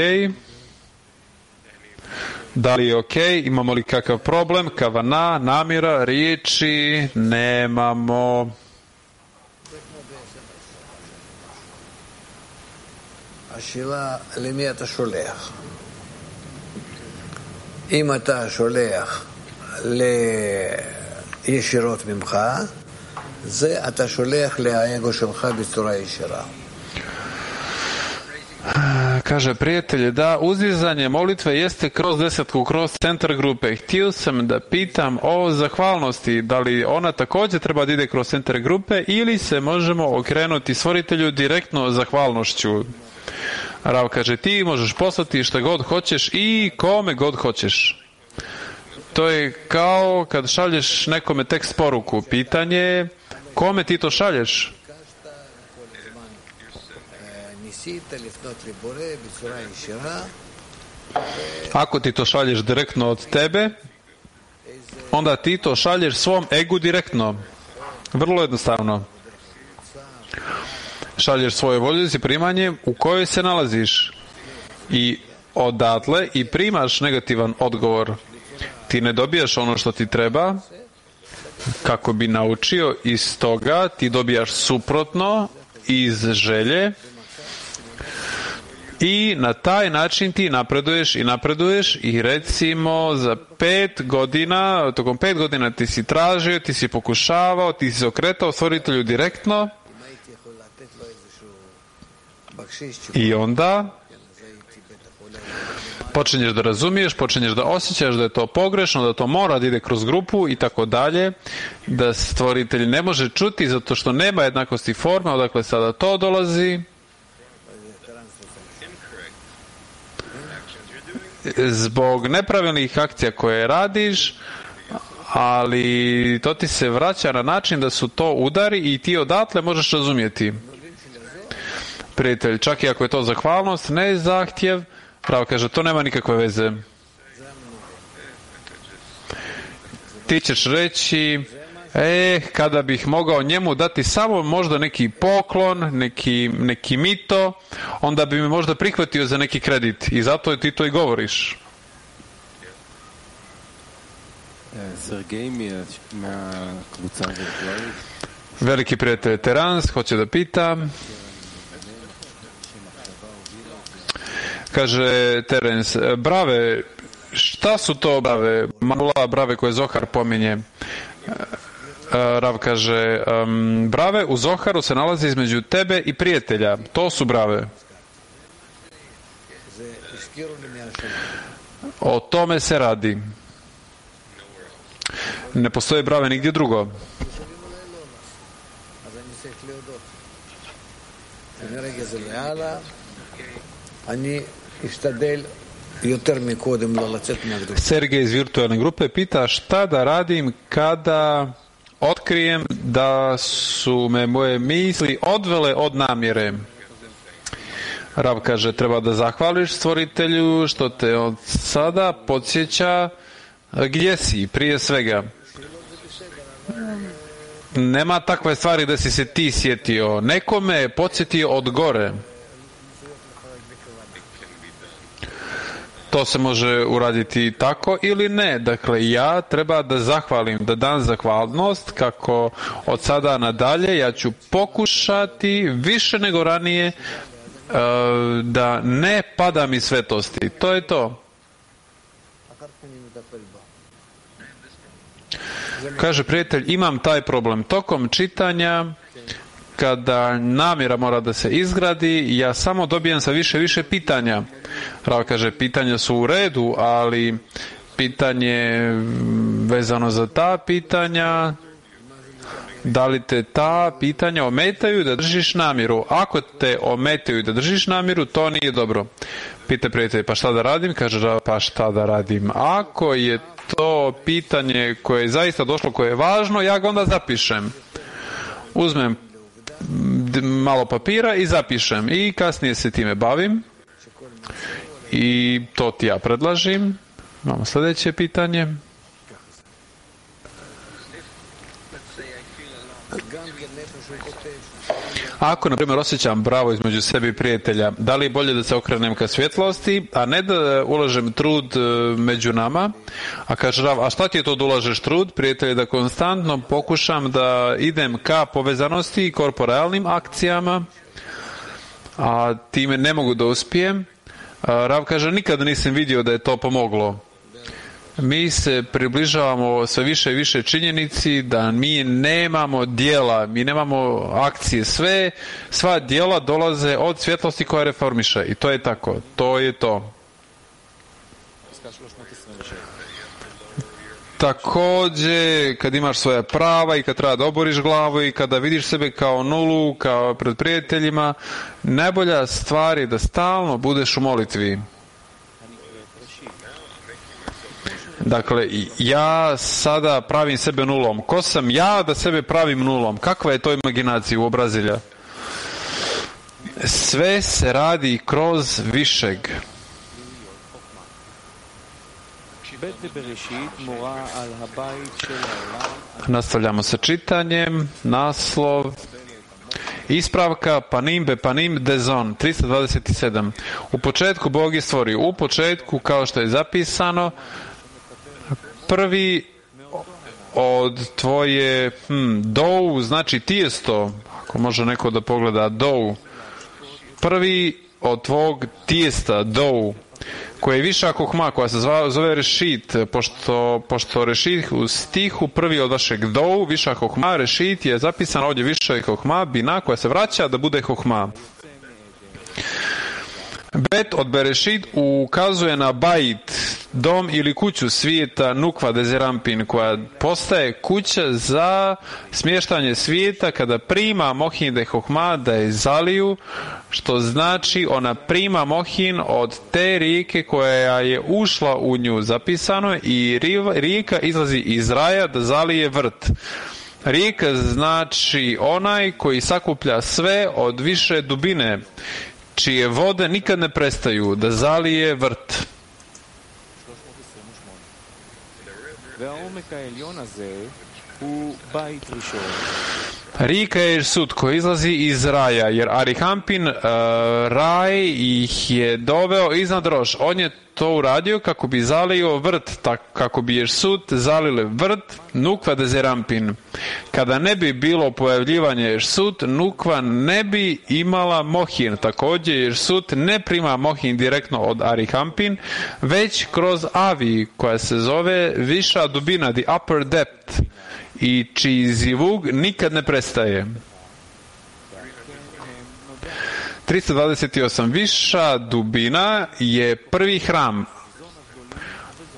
[SPEAKER 3] Da li je ok? Imamo li kakav problem? Kavana, namjera, riječi? Nemamo.
[SPEAKER 2] השאלה, למי אתה שולח? אם אתה שולח לישירות ממך, זה אתה שולח לאגו שלך בצורה ישירה.
[SPEAKER 3] Kaže prijatelje, da, uzdizanje molitve jeste kroz desetku, kroz centar grupe. Htio sam da pitam o zahvalnosti, da li ona također treba da ide kroz centar grupe ili se možemo okrenuti stvoritelju direktno zahvalnošću. Rav kaže, ti možeš poslati šta god hoćeš i kome god hoćeš. To je kao kad šalješ nekome tekst poruku. Pitanje je, kome ti to šalješ? Ako ti to šalješ direktno od tebe, onda ti to šalješ svom egu direktno. Vrlo jednostavno. Šalješ svoje voljici primanje u kojoj se nalaziš i odatle i primaš negativan odgovor. Ti ne dobijaš ono što ti treba kako bi naučio, iz toga ti dobijaš suprotno iz želje i na taj način ti napreduješ i napreduješ i recimo za pet godina, tokom pet godina ti si tražio, ti si pokušavao, ti si se okretao stvoritelju direktno i onda počinješ da razumiješ, počinješ da osjećaš da je to pogrešno, da to mora da ide kroz grupu i tako dalje, da stvoritelj ne može čuti zato što nema jednakosti forme, odakle sada to dolazi. Zbog nepravilnih akcija koje radiš, ali to ti se vraća na način da su to udari i ti odatle možeš razumjeti. Prijatelj, čak i ako je to zahvalnost, ne zahtjev, Rav kaže, to nema nikakve veze. Ti ćeš reći, eh, kada bih mogao njemu dati samo možda neki poklon, neki, neki mito, onda bi me možda prihvatio za neki kredit. I zato ti to i govoriš. Veliki prijatelj Terans hoće da pita. Kaže Terens, brave, šta su to brave, manula brave koje Zohar pominje? Rav kaže, um, brave u Zoharu se nalaze između tebe i prijatelja, to su brave. O tome se radi. Ne postoje brave nigdje drugo. Sergej iz virtualne grupe pita šta da radim kada otkrijem da su me moje misli odvele od namjere. Rav kaže, treba da zahvališ stvoritelju što te od sada podsjeća gdje si, prije svega. Nema takve stvari da si se ti sjetio. Nekome je podsjetio od gore. To se može uraditi tako ili ne. Dakle, ja treba da zahvalim, da dam zahvalnost kako od sada nadalje ja ću pokušati više nego ranije da ne padam iz svetosti. To je to. Kaže prijatelj, imam taj problem. Tokom čitanja, kada namjera mora da se izgradi, ja samo dobijam sa više više pitanja. Rav kaže, pitanja su u redu, ali pitanje vezano za ta pitanja, da li te ta pitanja ometaju da držiš namjeru? Ako te ometaju da držiš namjeru, to nije dobro. Pita prijatelj, pa šta da radim? Kaže Rav, pa šta da radim? Ako je to pitanje koje je zaista došlo, koje je važno, ja ga onda zapišem. Uzmem malo papira i zapišem i kasnije se time bavim i to ti ja predlažim. Imamo sljedeće pitanje. Ako, na primjer, osjećam bravo između sebi i prijatelja, da li je bolje da se okrenem ka svjetlosti, a ne da ulažem trud među nama? A kaže Rav, a šta ti je to da ulažeš trud? Prijatelj, da konstantno pokušam da idem ka povezanosti i korporalnim akcijama, a time ne mogu da uspijem. A Rav kaže, nikada nisam vidio da je to pomoglo. Mi se približavamo sve više i više činjenici da mi nemamo djela, mi nemamo akcije, sve, sva djela dolaze od svjetlosti koja reformiše i to je tako, to je to. Također, kad imaš svoja prava i kad treba da oboriš glavu i kada vidiš sebe kao nulu, kao pred prijateljima, najbolja stvar je da stalno budeš u molitvi. Dakle, ja sada pravim sebe nulom. Ko sam ja da sebe pravim nulom? Kakva je to imaginacija u obrazilja? Sve se radi kroz višeg. Nastavljamo sa čitanjem. Naslov. Ispravka panim be panim dezon tristo dvadeset sedam. U početku Bog je stvorio. U početku, kao što je zapisano, prvi od tvoje hm, dou, znači tijesto, ako može neko da pogleda dou, prvi od tvog tijesta, dou, koje je viša kohma, koja se zove, zove rešit, pošto, pošto rešit u stihu prvi od vašeg dou, viša kohma, rešit je zapisan ovdje viša kohma, bina, koja se vraća da bude kohma. Bet od Berešit ukazuje na bajt, dom ili kuću svijeta Nukva Dezerampin, koja postaje kuća za smještanje svijeta kada prima Mohin de Hohma da je zaliju, što znači ona prima Mohin od te rijeke koja je ušla u nju, zapisano, i rijeka izlazi iz raja da zalije vrt. Rijeka znači onaj koji sakuplja sve od više dubine, čije vode nikad ne prestaju da zalije vrt. Rijeka je sud koji izlazi iz raja, jer Arihampin uh, raj ih je doveo iznad Roš. On je to uradio kako bi zalio vrt, tak, kako bi jer sud zalile vrt Nukva Dezerampin. Kada ne bi bilo pojavljivanje jer sud, Nukva ne bi imala Mohin. Također jer sud ne prima Mohin direktno od Arihampin, već kroz Avi, koja se zove viša dubina, the upper depth, i čiji zivug nikad ne prestaje. tristo dvadeset osam. Viša dubina je prvi hram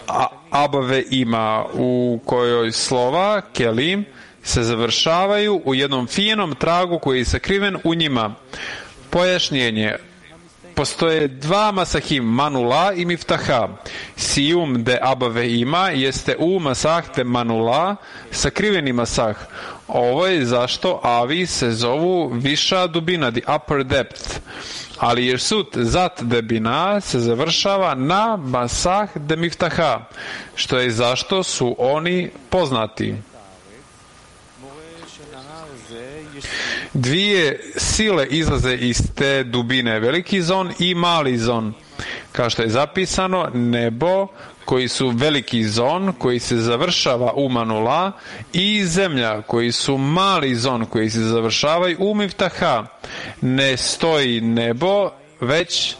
[SPEAKER 3] A, Abave ima, u kojoj slova Kelim se završavaju u jednom finom tragu koji je sakriven u njima. Pojašnjenje. Postoje dva masahim, manula i miftaha. Sijum de abave ima jeste u masah de manula, sakriveni masah. Ovo je zašto avi se zovu viša dubina, the upper depth. Ali jersut zat de bina se završava na masah de miftaha, što je zašto su oni poznati. Dvije sile izlaze iz te dubine, veliki zon i mali zon. Kao što je zapisano, nebo koji su veliki zon, koji se završava u manula, i zemlja koji su mali zon, koji se završavaju u miftaha. Ne stoji nebo, već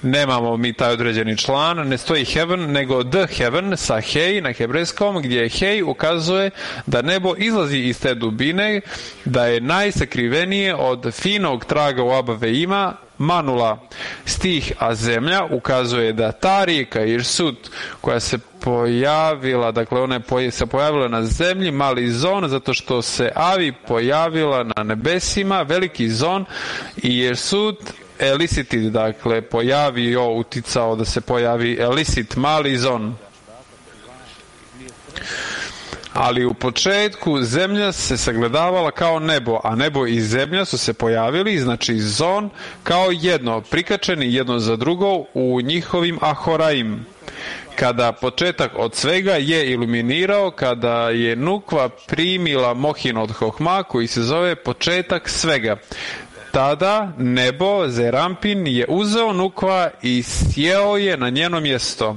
[SPEAKER 3] nemamo mi taj određeni član, ne stoji heaven, nego the heaven sa hej na hebrejskom, gdje hej ukazuje da nebo izlazi iz te dubine, da je najsakrivenije od finog traga u abave ima manula. Stih a zemlja ukazuje da ta rijeka Irsut koja se pojavila, dakle ona je se pojavila na zemlji, mali zon, zato što se avi pojavila na nebesima, veliki zon, i Irsut elicited, dakle pojavio, uticao da se pojavi elicit, mali zon. Ali u početku zemlja se sagledavala kao nebo, a nebo i zemlja su se pojavili, znači zon, kao jedno, prikačeni jedno za drugo u njihovim ahoraim. Kada početak od svega je iluminirao, kada je Nukva primila mohin od Hohma, koji se zove početak svega, tada nebo, Zerampin, je uzeo Nukva i sjeo je na njeno mjesto.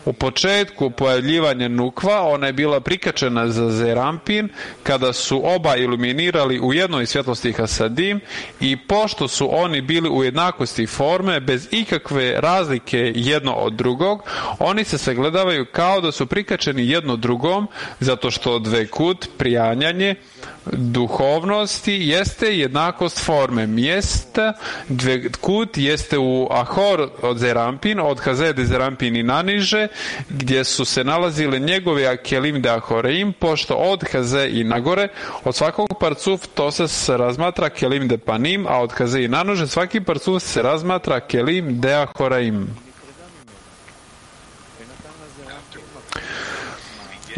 [SPEAKER 3] U početku pojavljivanja Nukva ona je bila prikačena za Zerampin kada su oba iluminirali u jednoj svjetlosti Hasadim, i pošto su oni bili u jednakosti forme bez ikakve razlike jedno od drugog, oni se sagledavaju kao da su prikačeni jedno drugom, zato što dvekut, prijanjanje duhovnosti, jeste jednakost forme. Mjesta dvekut jeste u Ahor od Zerampin, od Hazede Zerampin i naniže, gdje su se nalazile njegove akelim de Ahoreim, pošto od Haze i nagore, od svakog parcuf to se razmatra kelim de panim, a od Haze i nanože svaki parcuf se razmatra kelim de Ahoreim.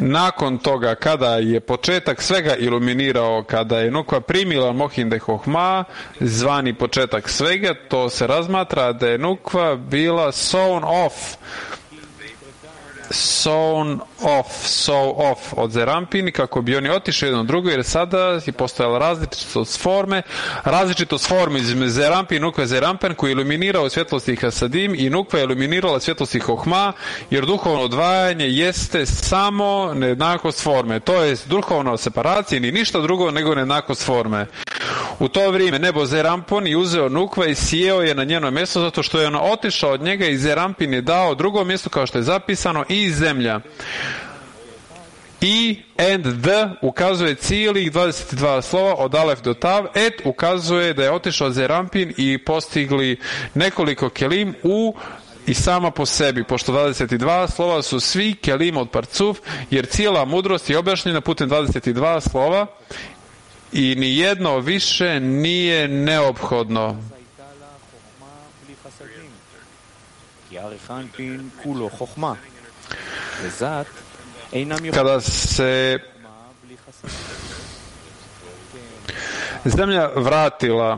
[SPEAKER 3] Nakon toga, kada je početak svega iluminirao, kada je Nukva primila mohin de Hohma, zvani početak svega, to se razmatra da je Nukva bila sown off, sown off, so off od Zerampin, kako bi oni otišli jedno drugo, jer sada je postojala različitost forme, različitost forme između Zerampin, Nukva Zerampin, koji je iluminirao svjetlosti Hasadim, i Nukva je iluminirala svjetlosti Hohma, jer duhovno odvajanje jeste samo nejednakost forme, to je duhovna separacija, ni ništa drugo nego nejednakost forme. U to vrijeme nebo Zerampin je uzeo Nukva i sjeo je na njeno mjesto, zato što je ono otišao od njega, i Zerampin je dao drugo mjesto, kao što je zapisano, i zemlja. I and the ukazuje cijelih dvadeset dva slova od Alef do Tav. Et ukazuje da je otišao Zerampin i postigli nekoliko kelim u i sama po sebi, pošto dvadeset dva slova su svi kelim od parcuf, jer cijela mudrost je objašnjena putem dvadeset dva slova i ni jedno više nije neophodno. Kada se zemlja vratila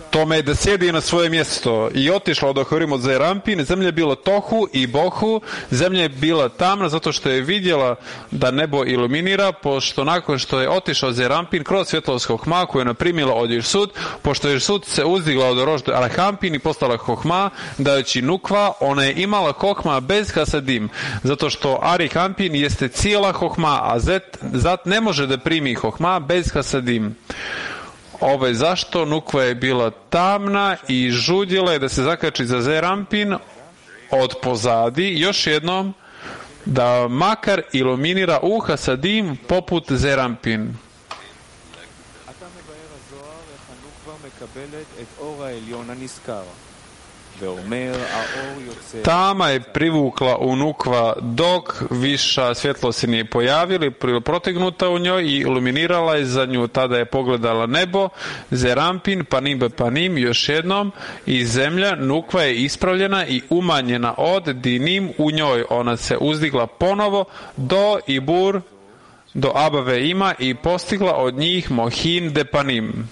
[SPEAKER 3] tome da sjedi na svoje mjesto i otišla od Ahorim od Zerampin, zemlja je bila tohu i bohu, zemlja je bila tamna zato što je vidjela da nebo iluminira, pošto nakon što je otišao Zerampin kroz svjetlost Hohma koju je naprimila od Irsut, pošto Irsut se uzdigla od Rožde Arahampin i postala Hohma, dajući Nukva, ona je imala Hohma bez Hasadim, zato što Arihampin jeste cijela Hohma, a Zet, Zat ne može da primi Hohma bez Hasadim. Ovo je zašto Nukva je bila tamna i žudjela je da se zakači za Zerampin od pozadi, još jednom da makar iluminira u Hasadim poput Zerampin. Tama je privukla u Nukva dok viša svjetlost se nije pojavila, protegnuta u njoj i iluminirala je za nju. Tada je pogledala nebo, Zerampin, panim be panim, još jednom, i zemlja Nukva je ispravljena i umanjena od dinim u njoj. Ona se uzdigla ponovo do Ibur, do Abave ima i postigla od njih Mohin de panim.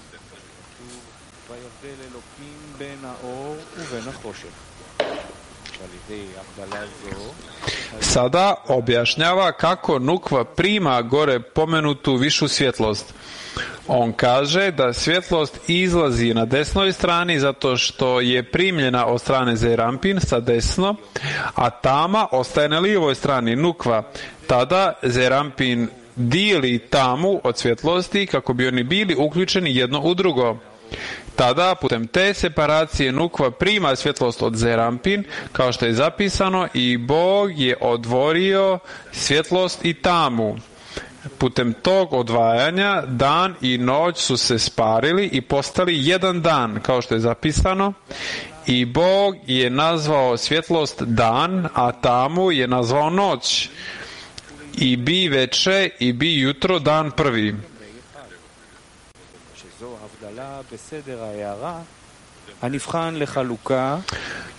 [SPEAKER 3] Sada objašnjava kako Nukva prima gore pomenutu višu svjetlost. On kaže da svjetlost izlazi na desnoj strani zato što je primljena od strane Zerampin sa desno, a tama ostaje na lijevoj strani Nukva. Tada Zerampin dijeli tamu od svjetlosti kako bi oni bili uključeni jedno u drugo. Tada, putem te separacije, Nukva prima svjetlost od Zerampin, kao što je zapisano, i Bog je odvojio svjetlost i tamu. Putem tog odvajanja dan i noć su se sparili i postali jedan dan, kao što je zapisano, i Bog je nazvao svjetlost dan, a tamu je nazvao noć. I bi veče i bi jutro dan prvi.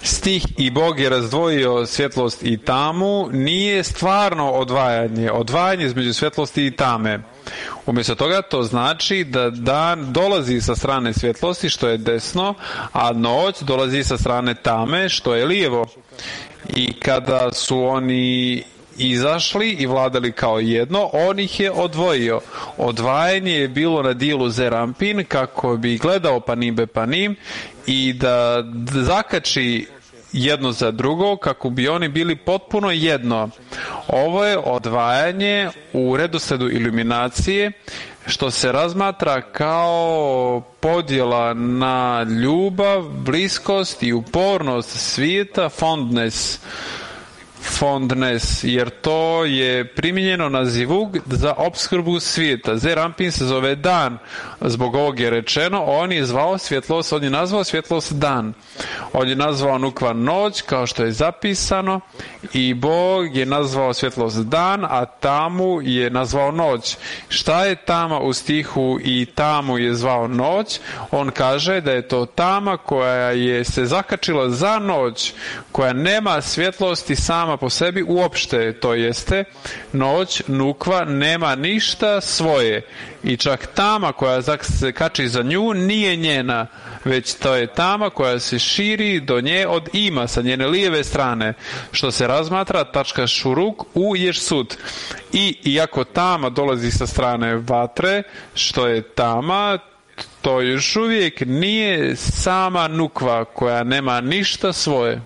[SPEAKER 3] Stih i Bog je razdvojio svjetlost i tamu nije stvarno odvajanje, odvajanje između svjetlosti i tame. Umjesto toga to znači da dan dolazi sa strane svjetlosti, što je desno, a noć dolazi sa strane tame, što je lijevo. I kada su oni izašli i vladali kao jedno, on ih je odvojio. Odvajanje je bilo na dijelu Zerampin kako bi gledao panim be panim i da zakači jedno za drugo kako bi oni bili potpuno jedno. Ovo je odvajanje u redosledu iluminacije, što se razmatra kao podjela na ljubav, bliskost i upornost svijeta, fondness. Fondness, jer to je primijenjeno na zivug za opskrbu svijeta. Zerampin se zove dan. Zbog ovog je rečeno, on je zvao svjetlost, on je nazvao svjetlost dan. On je nazvao Nukva noć, kao što je zapisano, i Bog je nazvao svjetlost dan, a tamu je nazvao noć. Šta je tama u stihu i tamu je zvao noć? On kaže da je to tama koja je se zakačila za noć, koja nema svjetlosti sama po sebi uopšte, to jeste noć Nukva nema ništa svoje i čak tama koja se kači za nju nije njena, već to je tama koja se širi do nje od ima sa njene lijeve strane, što se razmatra tačka šuruk u ješsut. I iako tama dolazi sa strane vatre, što je tama, to još uvijek nije sama Nukva koja nema ništa svoje.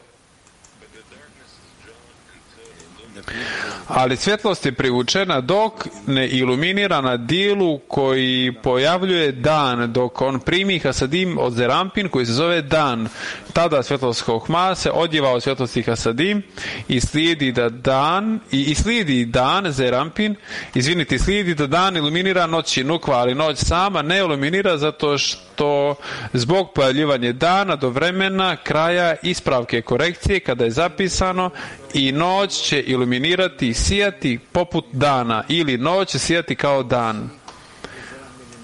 [SPEAKER 3] Ali svjetlost je privučena dok ne iluminira na dijelu koji pojavljuje dan, dok on primi hasadim od Zerampin koji se zove dan. Tada svjetlost Hohma se odjeva od svjetlosti hasadim i slijedi da dan i, i slijedi dan Zerampin, izvinite, slijedi da dan iluminira noći Nukva, ali noć sama ne iluminira zato što zbog pojavljivanja dana do vremena kraja ispravke korekcije kada je zapisano i noć će iluminirati i sijati poput dana, ili noć će sijati kao dan.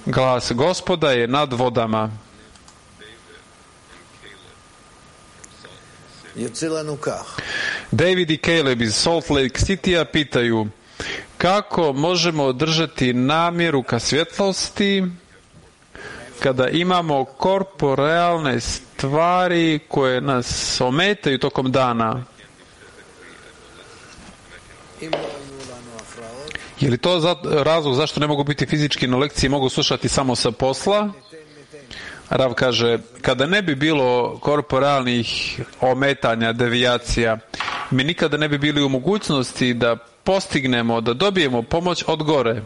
[SPEAKER 3] Glas Gospoda je nad vodama. David i Caleb iz Salt Lake Citya pitaju kako možemo održati namjeru ka svjetlosti kada imamo korporealne stvari koje nas ometaju tokom dana. Je li to za, razlog zašto ne mogu biti fizički na lekciji, mogu slušati samo sa posla? Rav kaže, kada ne bi bilo korporalnih ometanja, devijacija, mi nikada ne bi bili u mogućnosti da postignemo, da dobijemo pomoć od gore.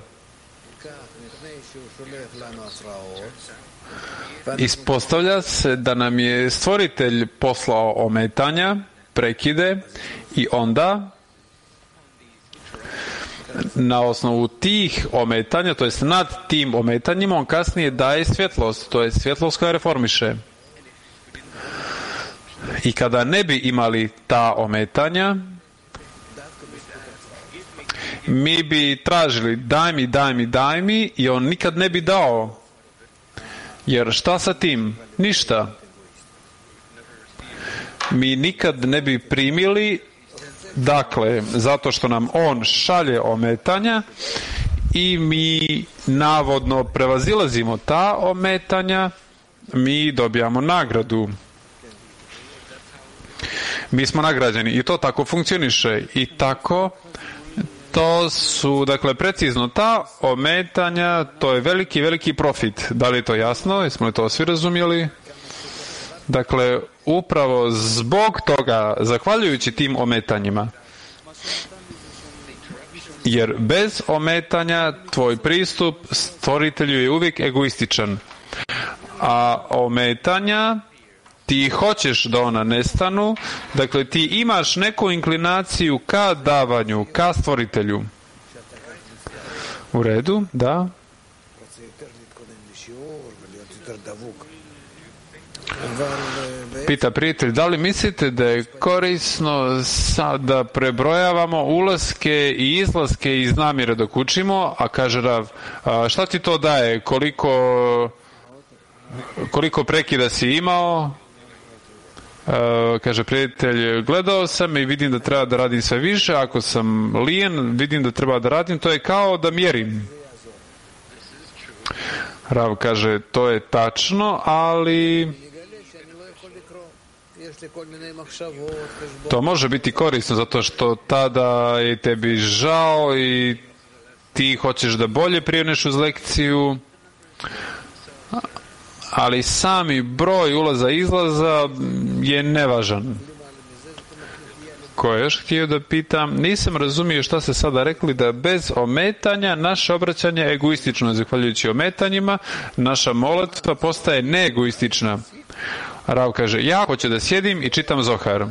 [SPEAKER 3] Ispostavlja se da nam je stvoritelj poslao ometanja, prekide, i onda na osnovu tih ometanja, to jest nad tim ometanjima, on kasnije daje svjetlost, to je svjetlost koja reformiše. I kada ne bi imali ta ometanja, mi bi tražili daj mi, daj mi, daj mi i on nikad ne bi dao. Jer šta sa tim? Ništa. Mi nikad ne bi primili, dakle, zato što nam on šalje ometanja i mi navodno prevazilazimo ta ometanja, mi dobijamo nagradu. Mi smo nagrađeni i to tako funkcioniše i tako to su, dakle, precizno ta ometanja, to je veliki, veliki profit. Da li je to jasno? Jesmo li to svi razumjeli? Dakle, upravo zbog toga, zahvaljujući tim ometanjima, jer bez ometanja tvoj pristup stvoritelju je uvijek egoističan. A ometanja, ti hoćeš da ona nestanu, dakle ti imaš neku inklinaciju ka davanju, ka stvoritelju. U redu, da. Pita prijatelj, da li mislite da je korisno sada prebrojavamo ulaske i izlaske iz namjere dok učimo, a kaže Rav, a šta ti to daje, koliko koliko prekida si imao? Uh, kaže prijatelj, gledao sam i vidim da treba da radim sve više, ako sam lijen, vidim da treba da radim, to je kao da mjerim. Rav kaže, to je tačno, ali to može biti korisno, zato što tada je tebi žao i ti hoćeš da bolje prijemneš uz lekciju, ali sami broj ulaza i izlaza je nevažan. Ko je još htio da pitam? Nisam razumio šta ste sada rekli, da bez ometanja naše obraćanje je egoistično. Zahvaljujući ometanjima, naša molitva postaje neegoistična. Rav kaže, ja hoću da sjedim i čitam Zohar,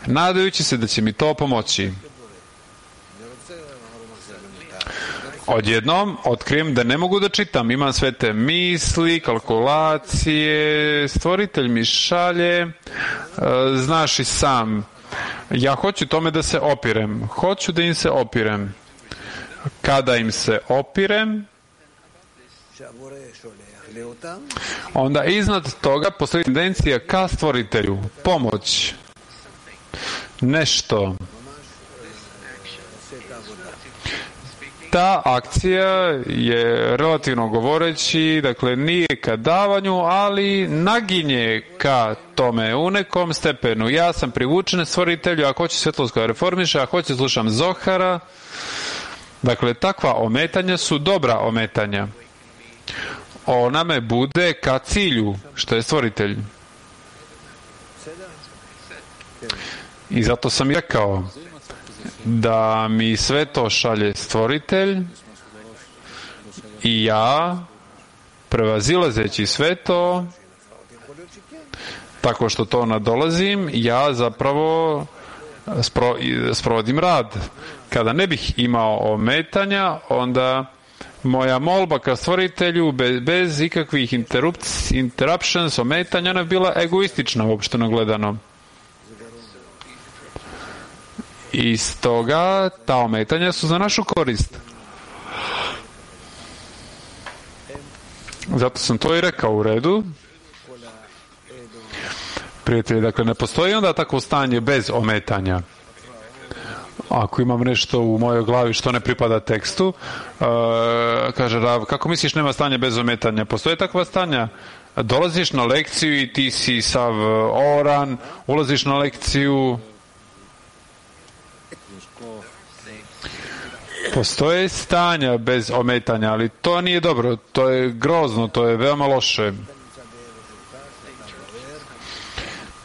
[SPEAKER 3] nadajući se da će mi to pomoći. Odjednom otkrijem da ne mogu da čitam, imam sve te misli, kalkulacije, stvoritelj mi šalje, znaš i sam, ja hoću tome da se opirem, hoću da im se opirem. Kada im se opirem, onda iznad toga postoji tendencija ka stvoritelju, pomoć, nešto. Ta akcija je, relativno govoreći, dakle nije ka davanju, ali naginje ka tome u nekom stepenu. Ja sam privučen stvoritelju, ako hoće svjetlost reformiše, ako hoće slušam Zohara. Dakle, takva ometanja su dobra ometanja. Ona me bude ka cilju, što je stvoritelj. I zato sam i rekao da mi sve to šalje stvoritelj i ja, prevazilazeći sve to, tako što to nadolazim, ja zapravo spro, sprovodim rad. Kada ne bih imao ometanja, onda moja molba ka stvoritelju bez, bez ikakvih interruptions, ometanja, ona je bila egoistična, uopšteno gledano. I stoga ta ometanja su za našu korist. Zato sam to i rekao, u redu. Prijatelji, dakle, ne postoji onda takvo stanje bez ometanja. Ako imam nešto u mojoj glavi što ne pripada tekstu, uh, kaže Rav, kako misliš nema stanja bez ometanja? Postoje takva stanja? Dolaziš na lekciju i ti si sav oran, ulaziš na lekciju. Postoje stanja bez ometanja, ali to nije dobro, to je grozno, to je veoma loše.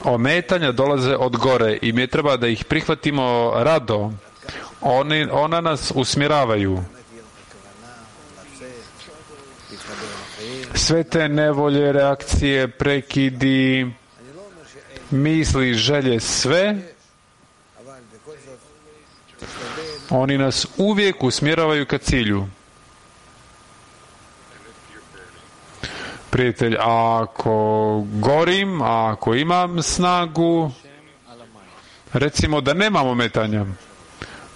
[SPEAKER 3] Ometanja dolaze od gore i mi treba da ih prihvatimo rado. Oni, ona nas usmjeravaju. Sve te nevolje, reakcije, prekidi, misli, želje, sve, oni nas uvijek usmjeravaju ka cilju. prijatelj, ako gorim, ako imam snagu, recimo da nemam ometanja.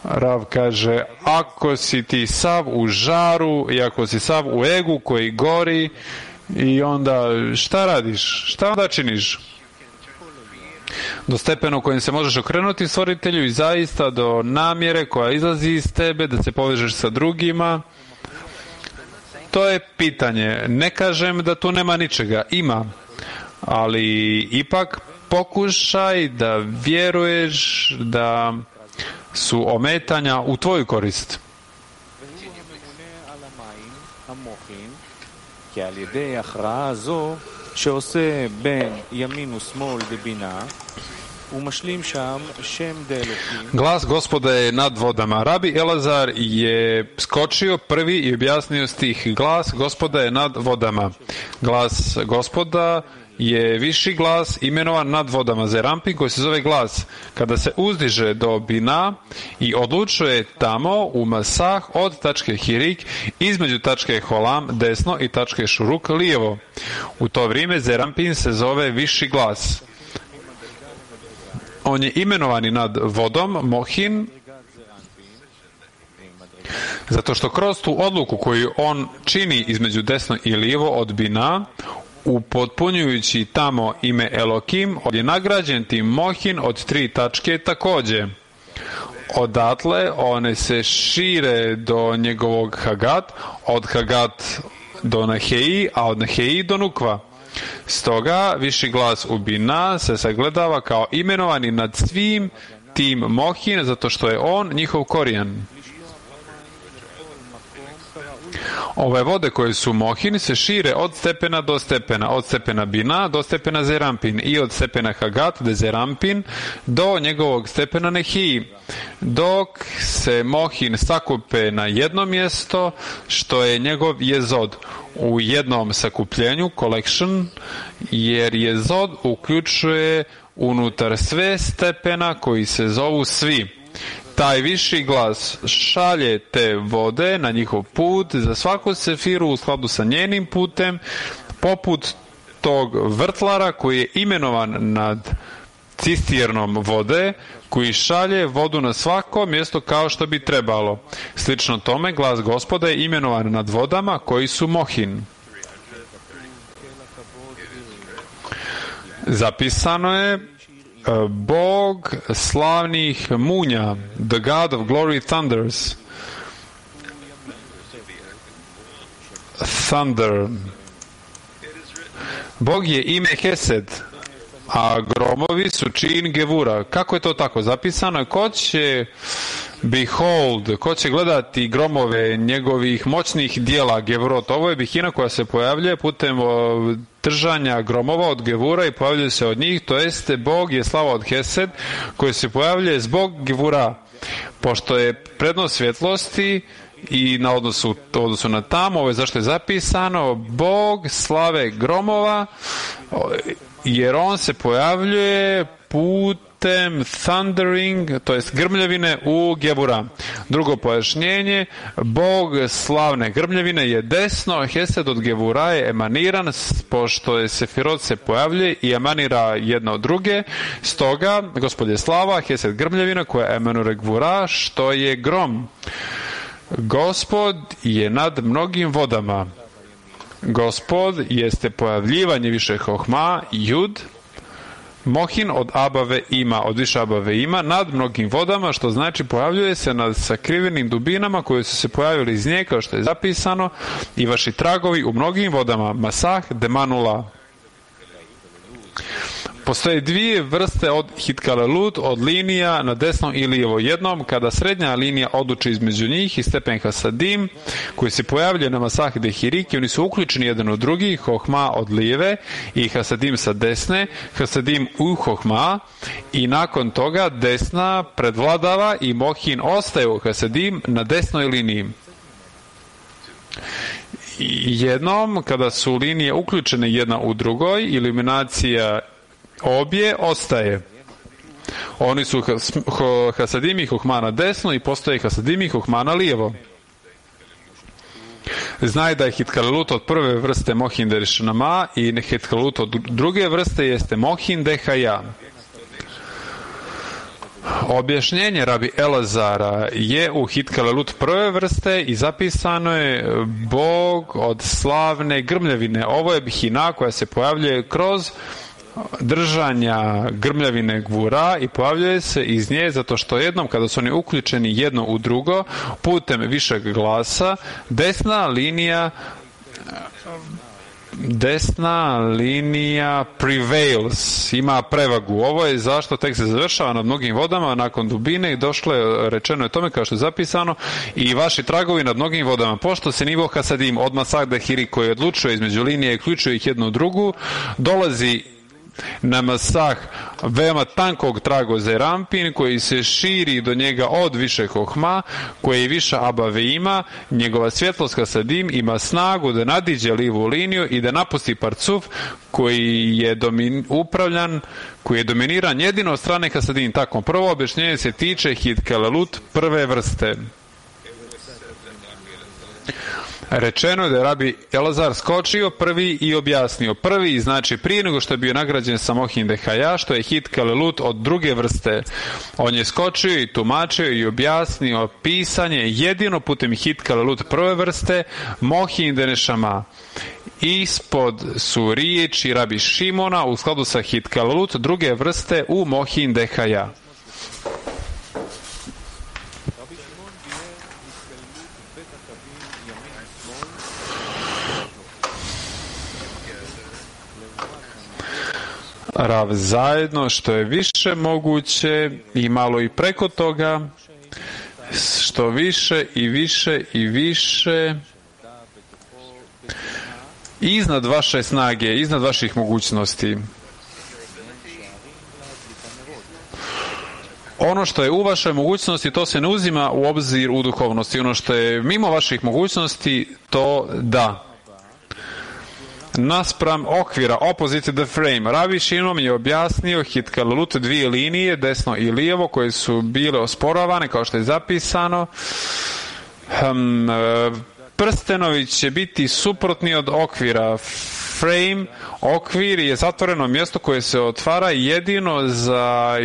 [SPEAKER 3] Rav kaže, ako si ti sav u žaru i ako si sav u egu koji gori, i onda šta radiš? Šta onda činiš? Do stepena u kojem se možeš okrenuti stvoritelju i zaista do namjere koja izlazi iz tebe, da se povežeš sa drugima. To je pitanje. Ne kažem da tu nema ničega. Ima. Ali ipak pokušaj da vjeruješ da su ometanja u tvoju korist. Glas Gospoda je nad vodama. Rabi Elazar je skočio prvi i objasnio stih. Glas Gospoda je nad vodama. Glas Gospoda je viši glas imenovan nad vodama. Zerampin koji se zove glas. Kada se uzdiže do Bina i odlučuje tamo u Masah od tačke Hirik između tačke Holam desno i tačke Šuruk lijevo. U to vrijeme Zerampin se zove viši glas. On je imenovani nad vodom, Mohin, zato što kroz tu odluku koju on čini između desno i lijevo od Bina, upotpunjujući tamo ime Elokim, on je nagrađen tim Mohin od tri tačke također. Odatle one se šire do njegovog Hagat, od Hagat do Naheji, a od Naheji do Nukva. Stoga viši glas u Bina se sagledava kao imenovani nad svim tim Mohin, zato što je on njihov korijen. Ove vode koje su Mohin se šire od stepena do stepena, od stepena Bina do stepena Zerampin i od stepena Hagat de Zerampin do njegovog stepena Nehiji, dok se Mohin sakupe na jedno mjesto što je njegov jezod u jednom sakupljenju, collection, jer jezod uključuje unutar sve stepena koji se zovu svi. Taj viši glas šalje te vode na njihov put za svaku sefiru u skladu sa njenim putem, poput tog vrtlara koji je imenovan nad cisternom vode, koji šalje vodu na svako mjesto kao što bi trebalo. Slično tome, glas Gospoda je imenovan nad vodama koji su Mohin. Zapisano je Bog slavnih munja, the God of glory thunders. Thunder. Bog je ime Hesed, a gromovi su čin Gevura. Kako je to tako zapisano? Ko će behold, ko će gledati gromove njegovih moćnih dijela Gevurot? Ovo je bihina koja se pojavljuje putem držanja gromova od Gevura i pojavljuje se od njih, to jeste Bog je slava od Hesed koji se pojavljuje zbog Gevura, pošto je prednost svjetlosti i na odnosu, odnosu na tamo, ovo je zašto je zapisano Bog slave gromova, jer on se pojavljuje putem thundering, to jest grmljavine u Gevura. Drugo pojašnjenje, Bog slavne grmljavine je desno, Hesed od Gevura je emaniran, pošto je Sefirot se pojavljuje i emanira jedna od druge, stoga Gospod je slava, Hesed grmljavina koja emanira Gevura, što je grom. Gospod je nad mnogim vodama. Gospod jeste pojavljivanje više hohma, jud, Mohin od abave ima, od više abave ima, nad mnogim vodama, što znači pojavljuje se nad sakrivenim dubinama koje su se pojavili iz nje, kao što je zapisano, i vaši tragovi u mnogim vodama, Masah demanula. Postoje dvije vrste od hitkalelut, od linija na desno i lijevo. Jednom, kada srednja linija odluči između njih i stepen hasadim, koji se pojavljaju na Masah de Hirik, i oni su uključeni jedan u drugi, hohma od lijeve i hasadim sa desne, hasadim u hohma, i nakon toga desna predvladava i Mohin ostaje u hasadim na desnoj liniji. Jednom, kada su linije uključene jedna u drugoj, iluminacija obje ostaje. Oni su hasadim i hohma na desno i postoje hasadim i hohma na lijevo. znaj da je hitkalelut od prve vrste mohin derešenama i hitkalelut od druge vrste jeste mohin dehaja. Objašnjenje rabi Elazara je u hitkalelut prve vrste i zapisano je Bog od slavne grmljavine. Ovo je bihina koja se pojavljuje kroz držanja grmljavine gvura i pojavljuje se iz nje zato što jednom kada su oni uključeni jedno u drugo putem višeg glasa desna linija desna linija prevails, ima prevagu. Ovo je zašto tek se završava nad mnogim vodama nakon dubine i došlo je, rečeno je tome kao što je zapisano, i vaši tragovi nad mnogim vodama. Pošto se nivo hasadim od Masah Dehiri koji odlučuje između linije i uključuje ih jednu u drugu, dolazi na Masah veoma tankog trago Zerampin koji se širi do njega od više hohma, koji viša abave ima, njegova svjetlost hasadim ima snagu da nadiđe livu liniju i da napusti parcuf koji je domin, upravljan, koji je dominiran jedino od strane hasadim. Tako, prvo objašnjenje se tiče hitkalelut prve vrste. Rečeno je da je rabi Elazar skočio prvi i objasnio. Prvi znači prije nego što je bio nagrađen sa mohin dehaja, što je hitkalelut od druge vrste. On je skočio i tumačio i objasnio pisanje jedino putem hitkalelut prve vrste mohin denešama. Ispod su riječi rabi Šimona u skladu sa hitkalelut druge vrste u mohin dehaja. Rav zajedno što je više moguće i malo i preko toga, što više i više i više iznad vaše snage, iznad vaših mogućnosti. Ono što je u vašoj mogućnosti, to se ne uzima u obzir u duhovnosti. Ono što je mimo vaših mogućnosti, to da. Naspram okvira, opposite the frame, Rabi Šinom je objasnio hitkalelut dvije linije, desno i lijevo, koje su bile osporavane, kao što je zapisano. Um, prstenovi će biti suprotni od okvira. Frame, okvir je zatvoreno mjesto koje se otvara jedino za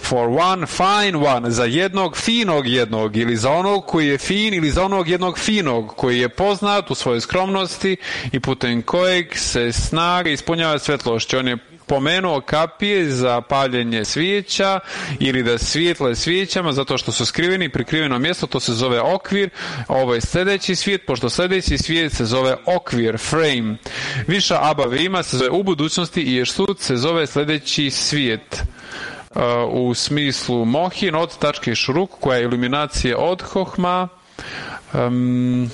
[SPEAKER 3] for one fine one, za jednog finog jednog, ili za onog koji je fin, ili za onog jednog finog, koji je poznat u svojoj skromnosti i putem kojeg se snaga ispunjava svjetlošću. On je pomenuo kapije za paljenje svijeća ili da svijetle svijećama zato što su skriveni, prikriveno mjesto, to se zove okvir. Ovo je sljedeći svijet, pošto sljedeći svijet se zove okvir, frame. Viša abave ima se zove u budućnosti i Ješsut se zove sljedeći svijet. Uh, u smislu mohin od tačke šruk koja je iluminacija od hohma. Um,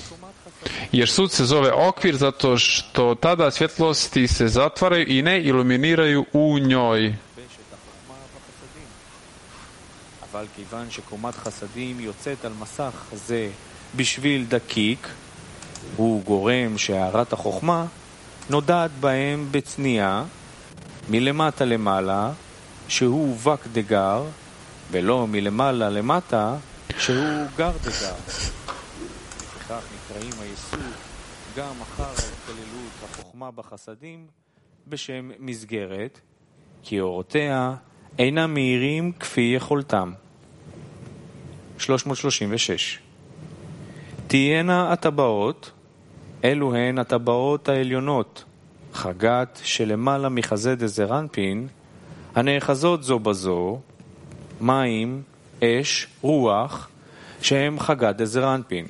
[SPEAKER 3] jer sud se zove okvir zato što tada svjetlosti se zatvaraju i ne iluminiraju u njoj.
[SPEAKER 1] אבל כיוון שקומת חסדים יוצאת על מסך זה בשביל דקיק, הוא גורם שהערת החוכמה נודעת בהם בצניעה מלמטה למעלה, שהוא וק דגר, ולא מלמעלה למטה, שהוא גר דגר. וכך נקראים היסוד גם אחר ההתקללות החוכמה בחסדים בשם מסגרת, כי אורותיה אינם מהירים כפי יכולתם. שלוש מאות שלושים ושש. תהיינה הטבעות, אלו הן הטבעות העליונות, חגת שלמעלה מחזה דזרנפין, הנאחזות זו בזו, מים, אש, רוח, שהם חגת דזרנפין.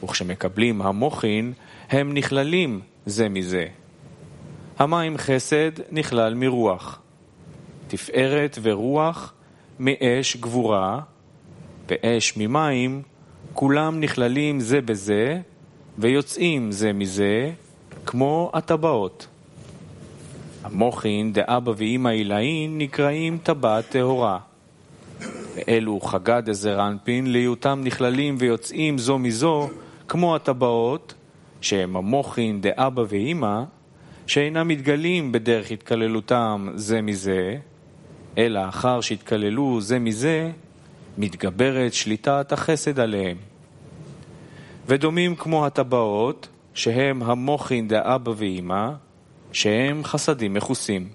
[SPEAKER 1] וכשמקבלים המוחין, הם נכללים זה מזה. המים חסד נכלל מרוח. תפארת ורוח מאש גבורה, ואש ממים, כולם נכללים זה בזה, ויוצאים זה מזה, כמו הטבעות. המוחין דאבא ואמא עילאין נקראים טבעת טהורה. ואלו חגה דזרנפין להיותם נכללים ויוצאים זו מזו, כמו הטבעות, שהם המוחין דאבא ואמא, שאינם מתגלים בדרך התקללותם זה מזה, אלא אחר שהתקללו זה מזה, מתגברת שליטת החסד עליהם. ודומים כמו הטבעות, שהם המוחין דאבא ואמא, שהם חסדים מכוסים.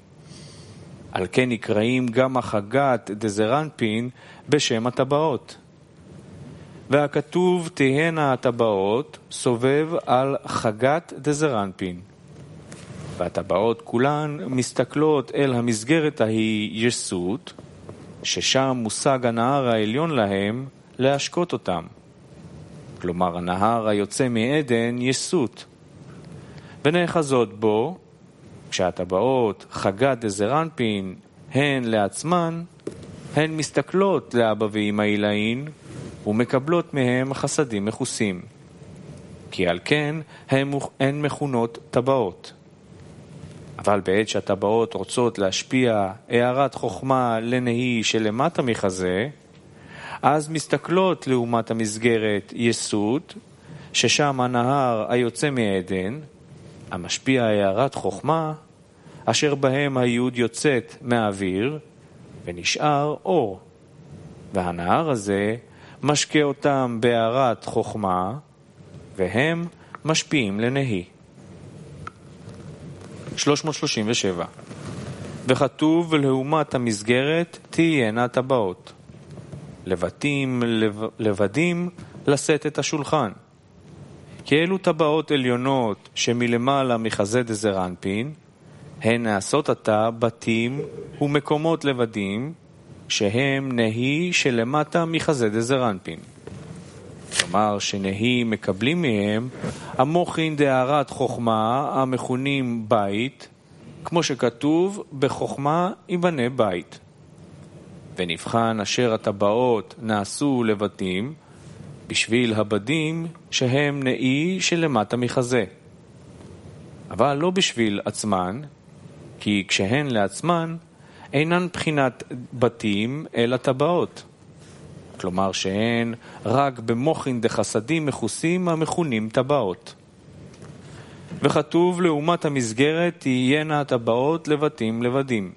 [SPEAKER 1] על כן נקראים גם החגת דזרנפין בשם הטבעות. והכתוב תהיינה הטבעות סובב על חגת דזרנפין. והטבעות כולן מסתכלות אל המסגרת ההיא יסות, ששם מושג הנהר העליון להם להשקות אותם. כלומר, הנהר היוצא מעדן יסות. ונאחזות בו, כשהטבעות חגת דזרנפין הן לעצמן, הן מסתכלות לאבא ואמא עילאין, ומקבלות מהם חסדים מכוסים. כי על כן הן מכונות טבעות. אבל בעת שהטבעות רוצות להשפיע הערת חוכמה לנהי שלמטה מחזה, אז מסתכלות לעומת המסגרת יסות, ששם הנהר היוצא מעדן, המשפיע הערת חוכמה, אשר בהם היוד יוצאת מהאוויר, ונשאר אור. והנהר הזה משקה אותם בהערת חוכמה, והם משפיעים לנהי. שלוש מאות שלושים ושבע. וכתוב לעומת המסגרת תהיינה טבעות. לבטים, לב, לבדים לשאת את השולחן. כי אלו טבעות עליונות שמלמעלה מחזה דזרנפין, הן נעשות עתה בתים ומקומות לבדים, שהם נהי שלמטה מחזה דזרנפין. כלומר שנהי מקבלים מהם המוחין דהערת חוכמה המכונים בית, כמו שכתוב בחוכמה ייבנה בית. ונבחן אשר הטבעות נעשו לבתים בשביל הבדים שהם נהי שלמטה מחזה. אבל לא בשביל עצמן, כי כשהן לעצמן אינן בחינת בתים אלא טבעות. כלומר שהן רק במוחין דחסדים מכוסים המכונים טבעות. וכתוב לעומת המסגרת תהיינה הטבעות לבתים לבדים.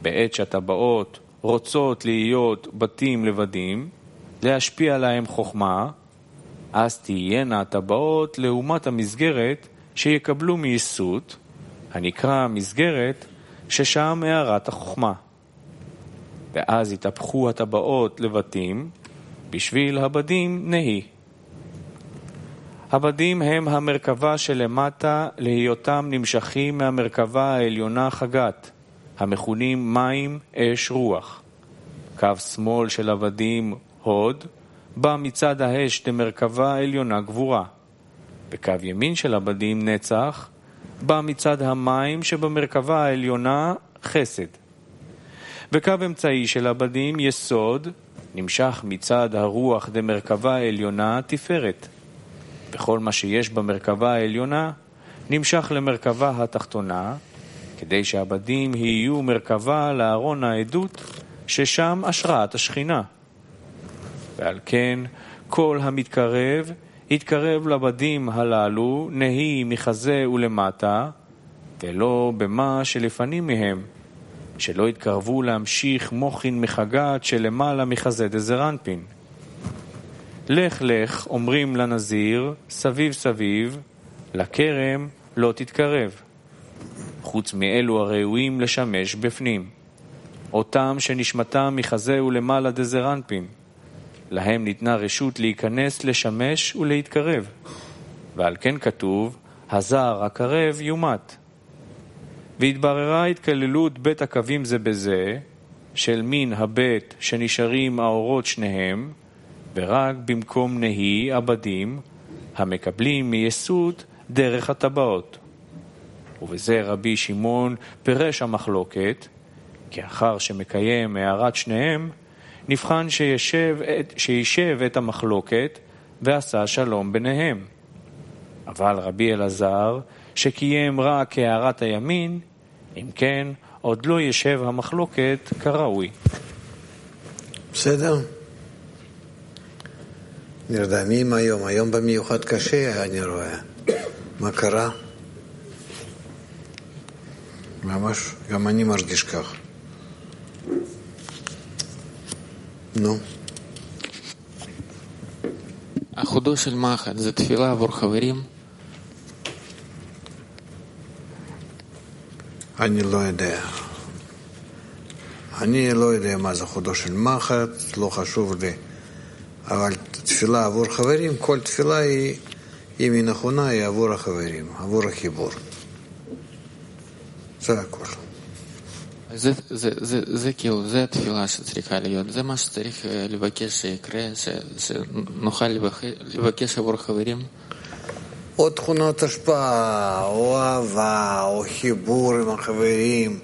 [SPEAKER 1] בעת שהטבעות רוצות להיות בתים לבדים, להשפיע להם חוכמה, אז תהיינה הטבעות לעומת המסגרת שיקבלו מיסות, הנקרא מסגרת ששם הערת החוכמה. ואז יתהפכו הטבעות לבתים, בשביל הבדים נהי. הבדים הם המרכבה שלמטה להיותם נמשכים מהמרכבה העליונה חגת, המכונים מים, אש, רוח. קו שמאל של הבדים הוד, בא מצד האש למרכבה העליונה גבורה. וקו ימין של הבדים נצח, בא מצד המים שבמרכבה העליונה חסד. וקו אמצעי של הבדים יסוד, נמשך מצד הרוח דמרכבה העליונה תפארת. וכל מה שיש במרכבה העליונה נמשך למרכבה התחתונה, כדי שהבדים יהיו מרכבה לארון העדות, ששם השראת השכינה. ועל כן כל המתקרב יתקרב לבדים הללו נהי מחזה ולמטה, ולא במה שלפנים מהם, שלא יתקרבו להמשיך מוחין מחגת שלמעלה מחזה דזרנפין. לך לך אומרים לנזיר סביב סביב, לכרם לא תתקרב. חוץ מאלו הראויים לשמש בפנים, אותם שנשמתם מחזה ולמעלה דזרנפין, להם ניתנה רשות להיכנס לשמש ולהתקרב. ועל כן כתוב הזר הקרב יומת. והתבררה התכללות בית הקווים זה בזה, של מין הבית שנשארים האורות שניהם, ורק במקום נהי עבדים המקבלים מיסוד דרך הטבעות. ובזה רבי שמעון פירש המחלוקת, כי אחר שמקיים הערת שניהם, נבחן שישב את, שישב את המחלוקת ועשה שלום ביניהם. אבל רבי אלעזר, שקיים רק הערת הימין, אם כן, עוד לא ישב המחלוקת כראוי.
[SPEAKER 2] בסדר? נרדמים היום, היום במיוחד קשה, אני רואה. מה קרה? ממש, גם אני מרגיש כך. נו.
[SPEAKER 4] החודו של מחט זה תפילה עבור חברים?
[SPEAKER 2] אני לא יודע. אני לא יודע מה זה חודו של מחט, לא חשוב לי. אבל תפילה עבור חברים, כל תפילה היא, אם היא נכונה, היא עבור החברים, עבור החיבור. זה הכל.
[SPEAKER 4] זה, זה, זה, זה כאילו, זה התפילה שצריכה להיות, זה מה שצריך לבקש שיקרה, שנוכל לבקש עבור חברים.
[SPEAKER 2] או תכונות השפעה, או אהבה, או חיבור עם החברים,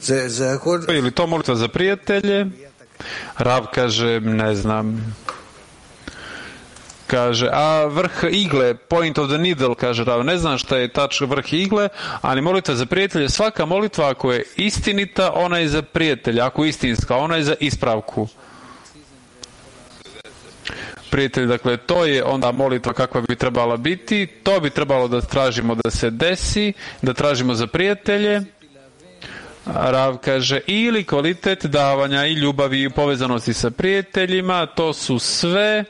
[SPEAKER 2] זה, זה הכל.
[SPEAKER 3] Ili to molitva za prijatelje. Rav kaže, ne znam, kaže, a vrh igle, point of the needle, kaže Rav, ne znam šta je tač vrh igle, ali molitva za prijatelje, svaka molitva ako je istinita, ona je za prijatelja, ako je istinska, ona je za ispravku. Prijatelj, dakle, to je onda molitva kakva bi trebala biti, to bi trebalo da tražimo da se desi, da tražimo za prijatelje. Rav kaže, ili kvalitet davanja i ljubavi i povezanosti sa prijateljima, to su sve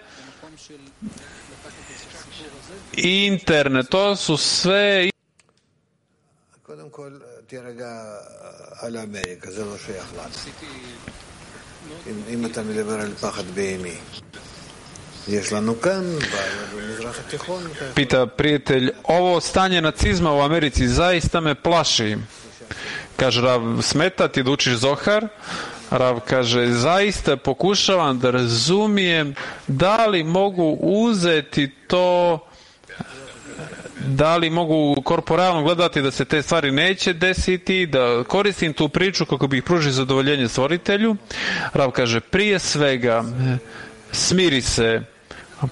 [SPEAKER 3] interne, to su sve.
[SPEAKER 2] קודם כל, תירגע על אמריקה, זה לא שייך לנו. אם אתה מדבר על פחד בהמי. יש לנו כאן, במזרח התיכון.
[SPEAKER 3] Pita prijatelj, ovo stanje nacizma u Americi zaista me plaši. Kaže Rav, smeta ti da učiš Zohar? Rav kaže, zaista pokušavam da razumijem da li mogu uzeti to, da li mogu korporalno gledati da se te stvari neće desiti, da koristim tu priču kako bih pružio zadovoljenje stvoritelju. Rav kaže, prije svega smiri se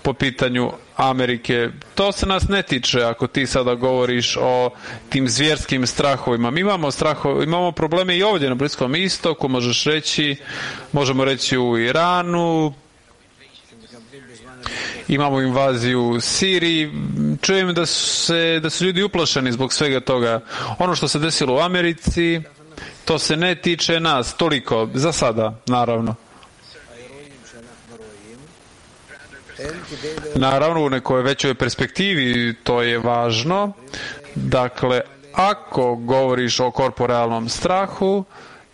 [SPEAKER 3] po pitanju Amerike. To se nas ne tiče ako ti sada govoriš o tim zvjerskim strahovima. Mi imamo strahove, imamo probleme i ovdje na Bliskom istoku, možeš reći, možemo reći u Iranu, imamo invaziju u Siriji. Čujem da su, se, da su ljudi uplašeni zbog svega toga. Ono što se desilo u Americi, to se ne tiče nas toliko, za sada, naravno. Naravno, u nekoj većoj perspektivi to je važno. Dakle, ako govoriš o korporalnom strahu,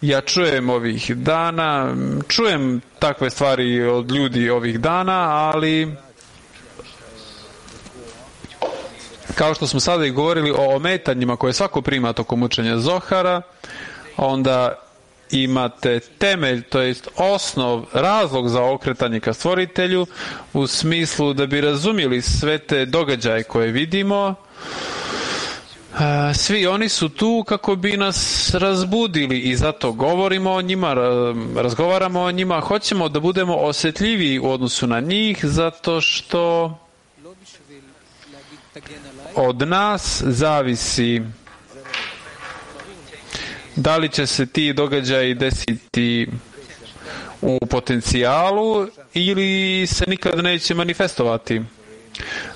[SPEAKER 3] ja čujem ovih dana, čujem takve stvari od ljudi ovih dana, ali kao što smo sada i govorili o ometanjima koje svako prima tokom učenja Zohara, onda imate temelj, to jest osnov, razlog za okretanje ka stvoritelju u smislu da bi razumjeli sve te događaje koje vidimo. Svi oni su tu kako bi nas razbudili i zato govorimo o njima, razgovaramo o njima, hoćemo da budemo osjetljiviji u odnosu na njih zato što od nas zavisi da li će se ti događaji desiti u potencijalu ili se nikad neće manifestovati.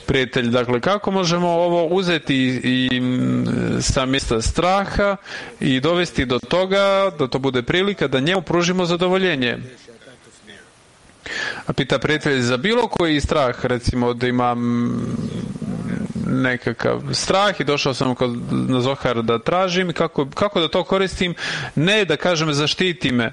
[SPEAKER 3] Prijatelj, dakle, kako možemo ovo uzeti i sa mjesta straha i dovesti do toga da to bude prilika da njemu pružimo zadovoljenje? A pita prijatelj, za bilo koji strah, recimo da imam nekakav strah i došao sam kod, na Zohar da tražim, kako, kako da to koristim, ne da kažem zaštiti me.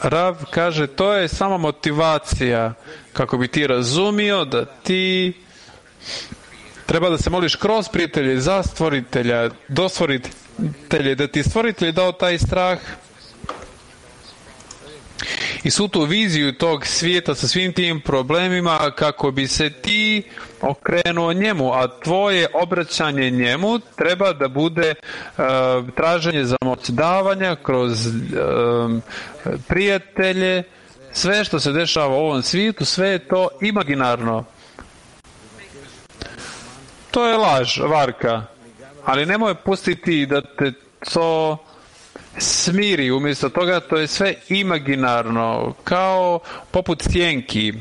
[SPEAKER 3] Rav kaže, to je samo motivacija kako bi ti razumio da ti treba da se moliš kroz prijatelje za stvoritelja, do stvoritelja, da ti stvoritelj dao taj strah i svu tu viziju tog svijeta sa svim tim problemima kako bi se ti okrenuo njemu, a tvoje obraćanje njemu treba da bude uh, traženje za moć davanja kroz uh, prijatelje. Sve što se dešava u ovom svijetu, sve je to imaginarno. To je laž, varka. Ali nemoj pustiti da te to smiri, umjesto toga to je sve imaginarno, kao poput sjenki.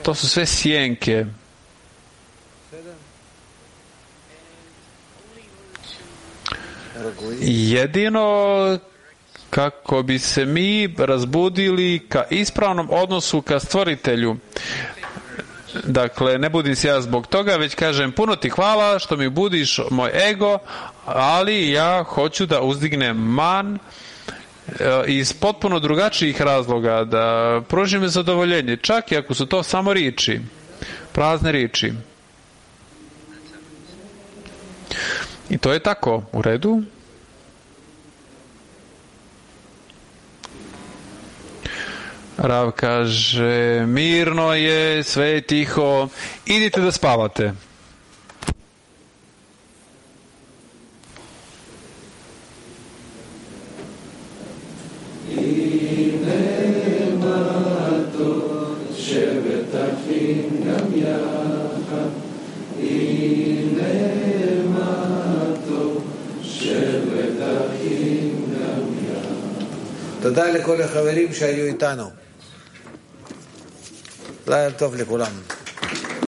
[SPEAKER 3] To su sve sjenke. Jedino kako bi se mi razbudili ka ispravnom odnosu ka stvoritelju. Dakle, ne budim se ja zbog toga, već kažem puno ti hvala što mi budiš moj ego, ali ja hoću da uzdignem man iz potpuno drugačijih razloga, da pružim zadovoljenje, čak i ako su to samo riječi, prazne riječi. I to je tako, u redu. Rav kaže, mirno je, sve je tiho, idite da spavate.
[SPEAKER 2] תודה לכל החברים שהיו איתנו. לילה טוב לכולם.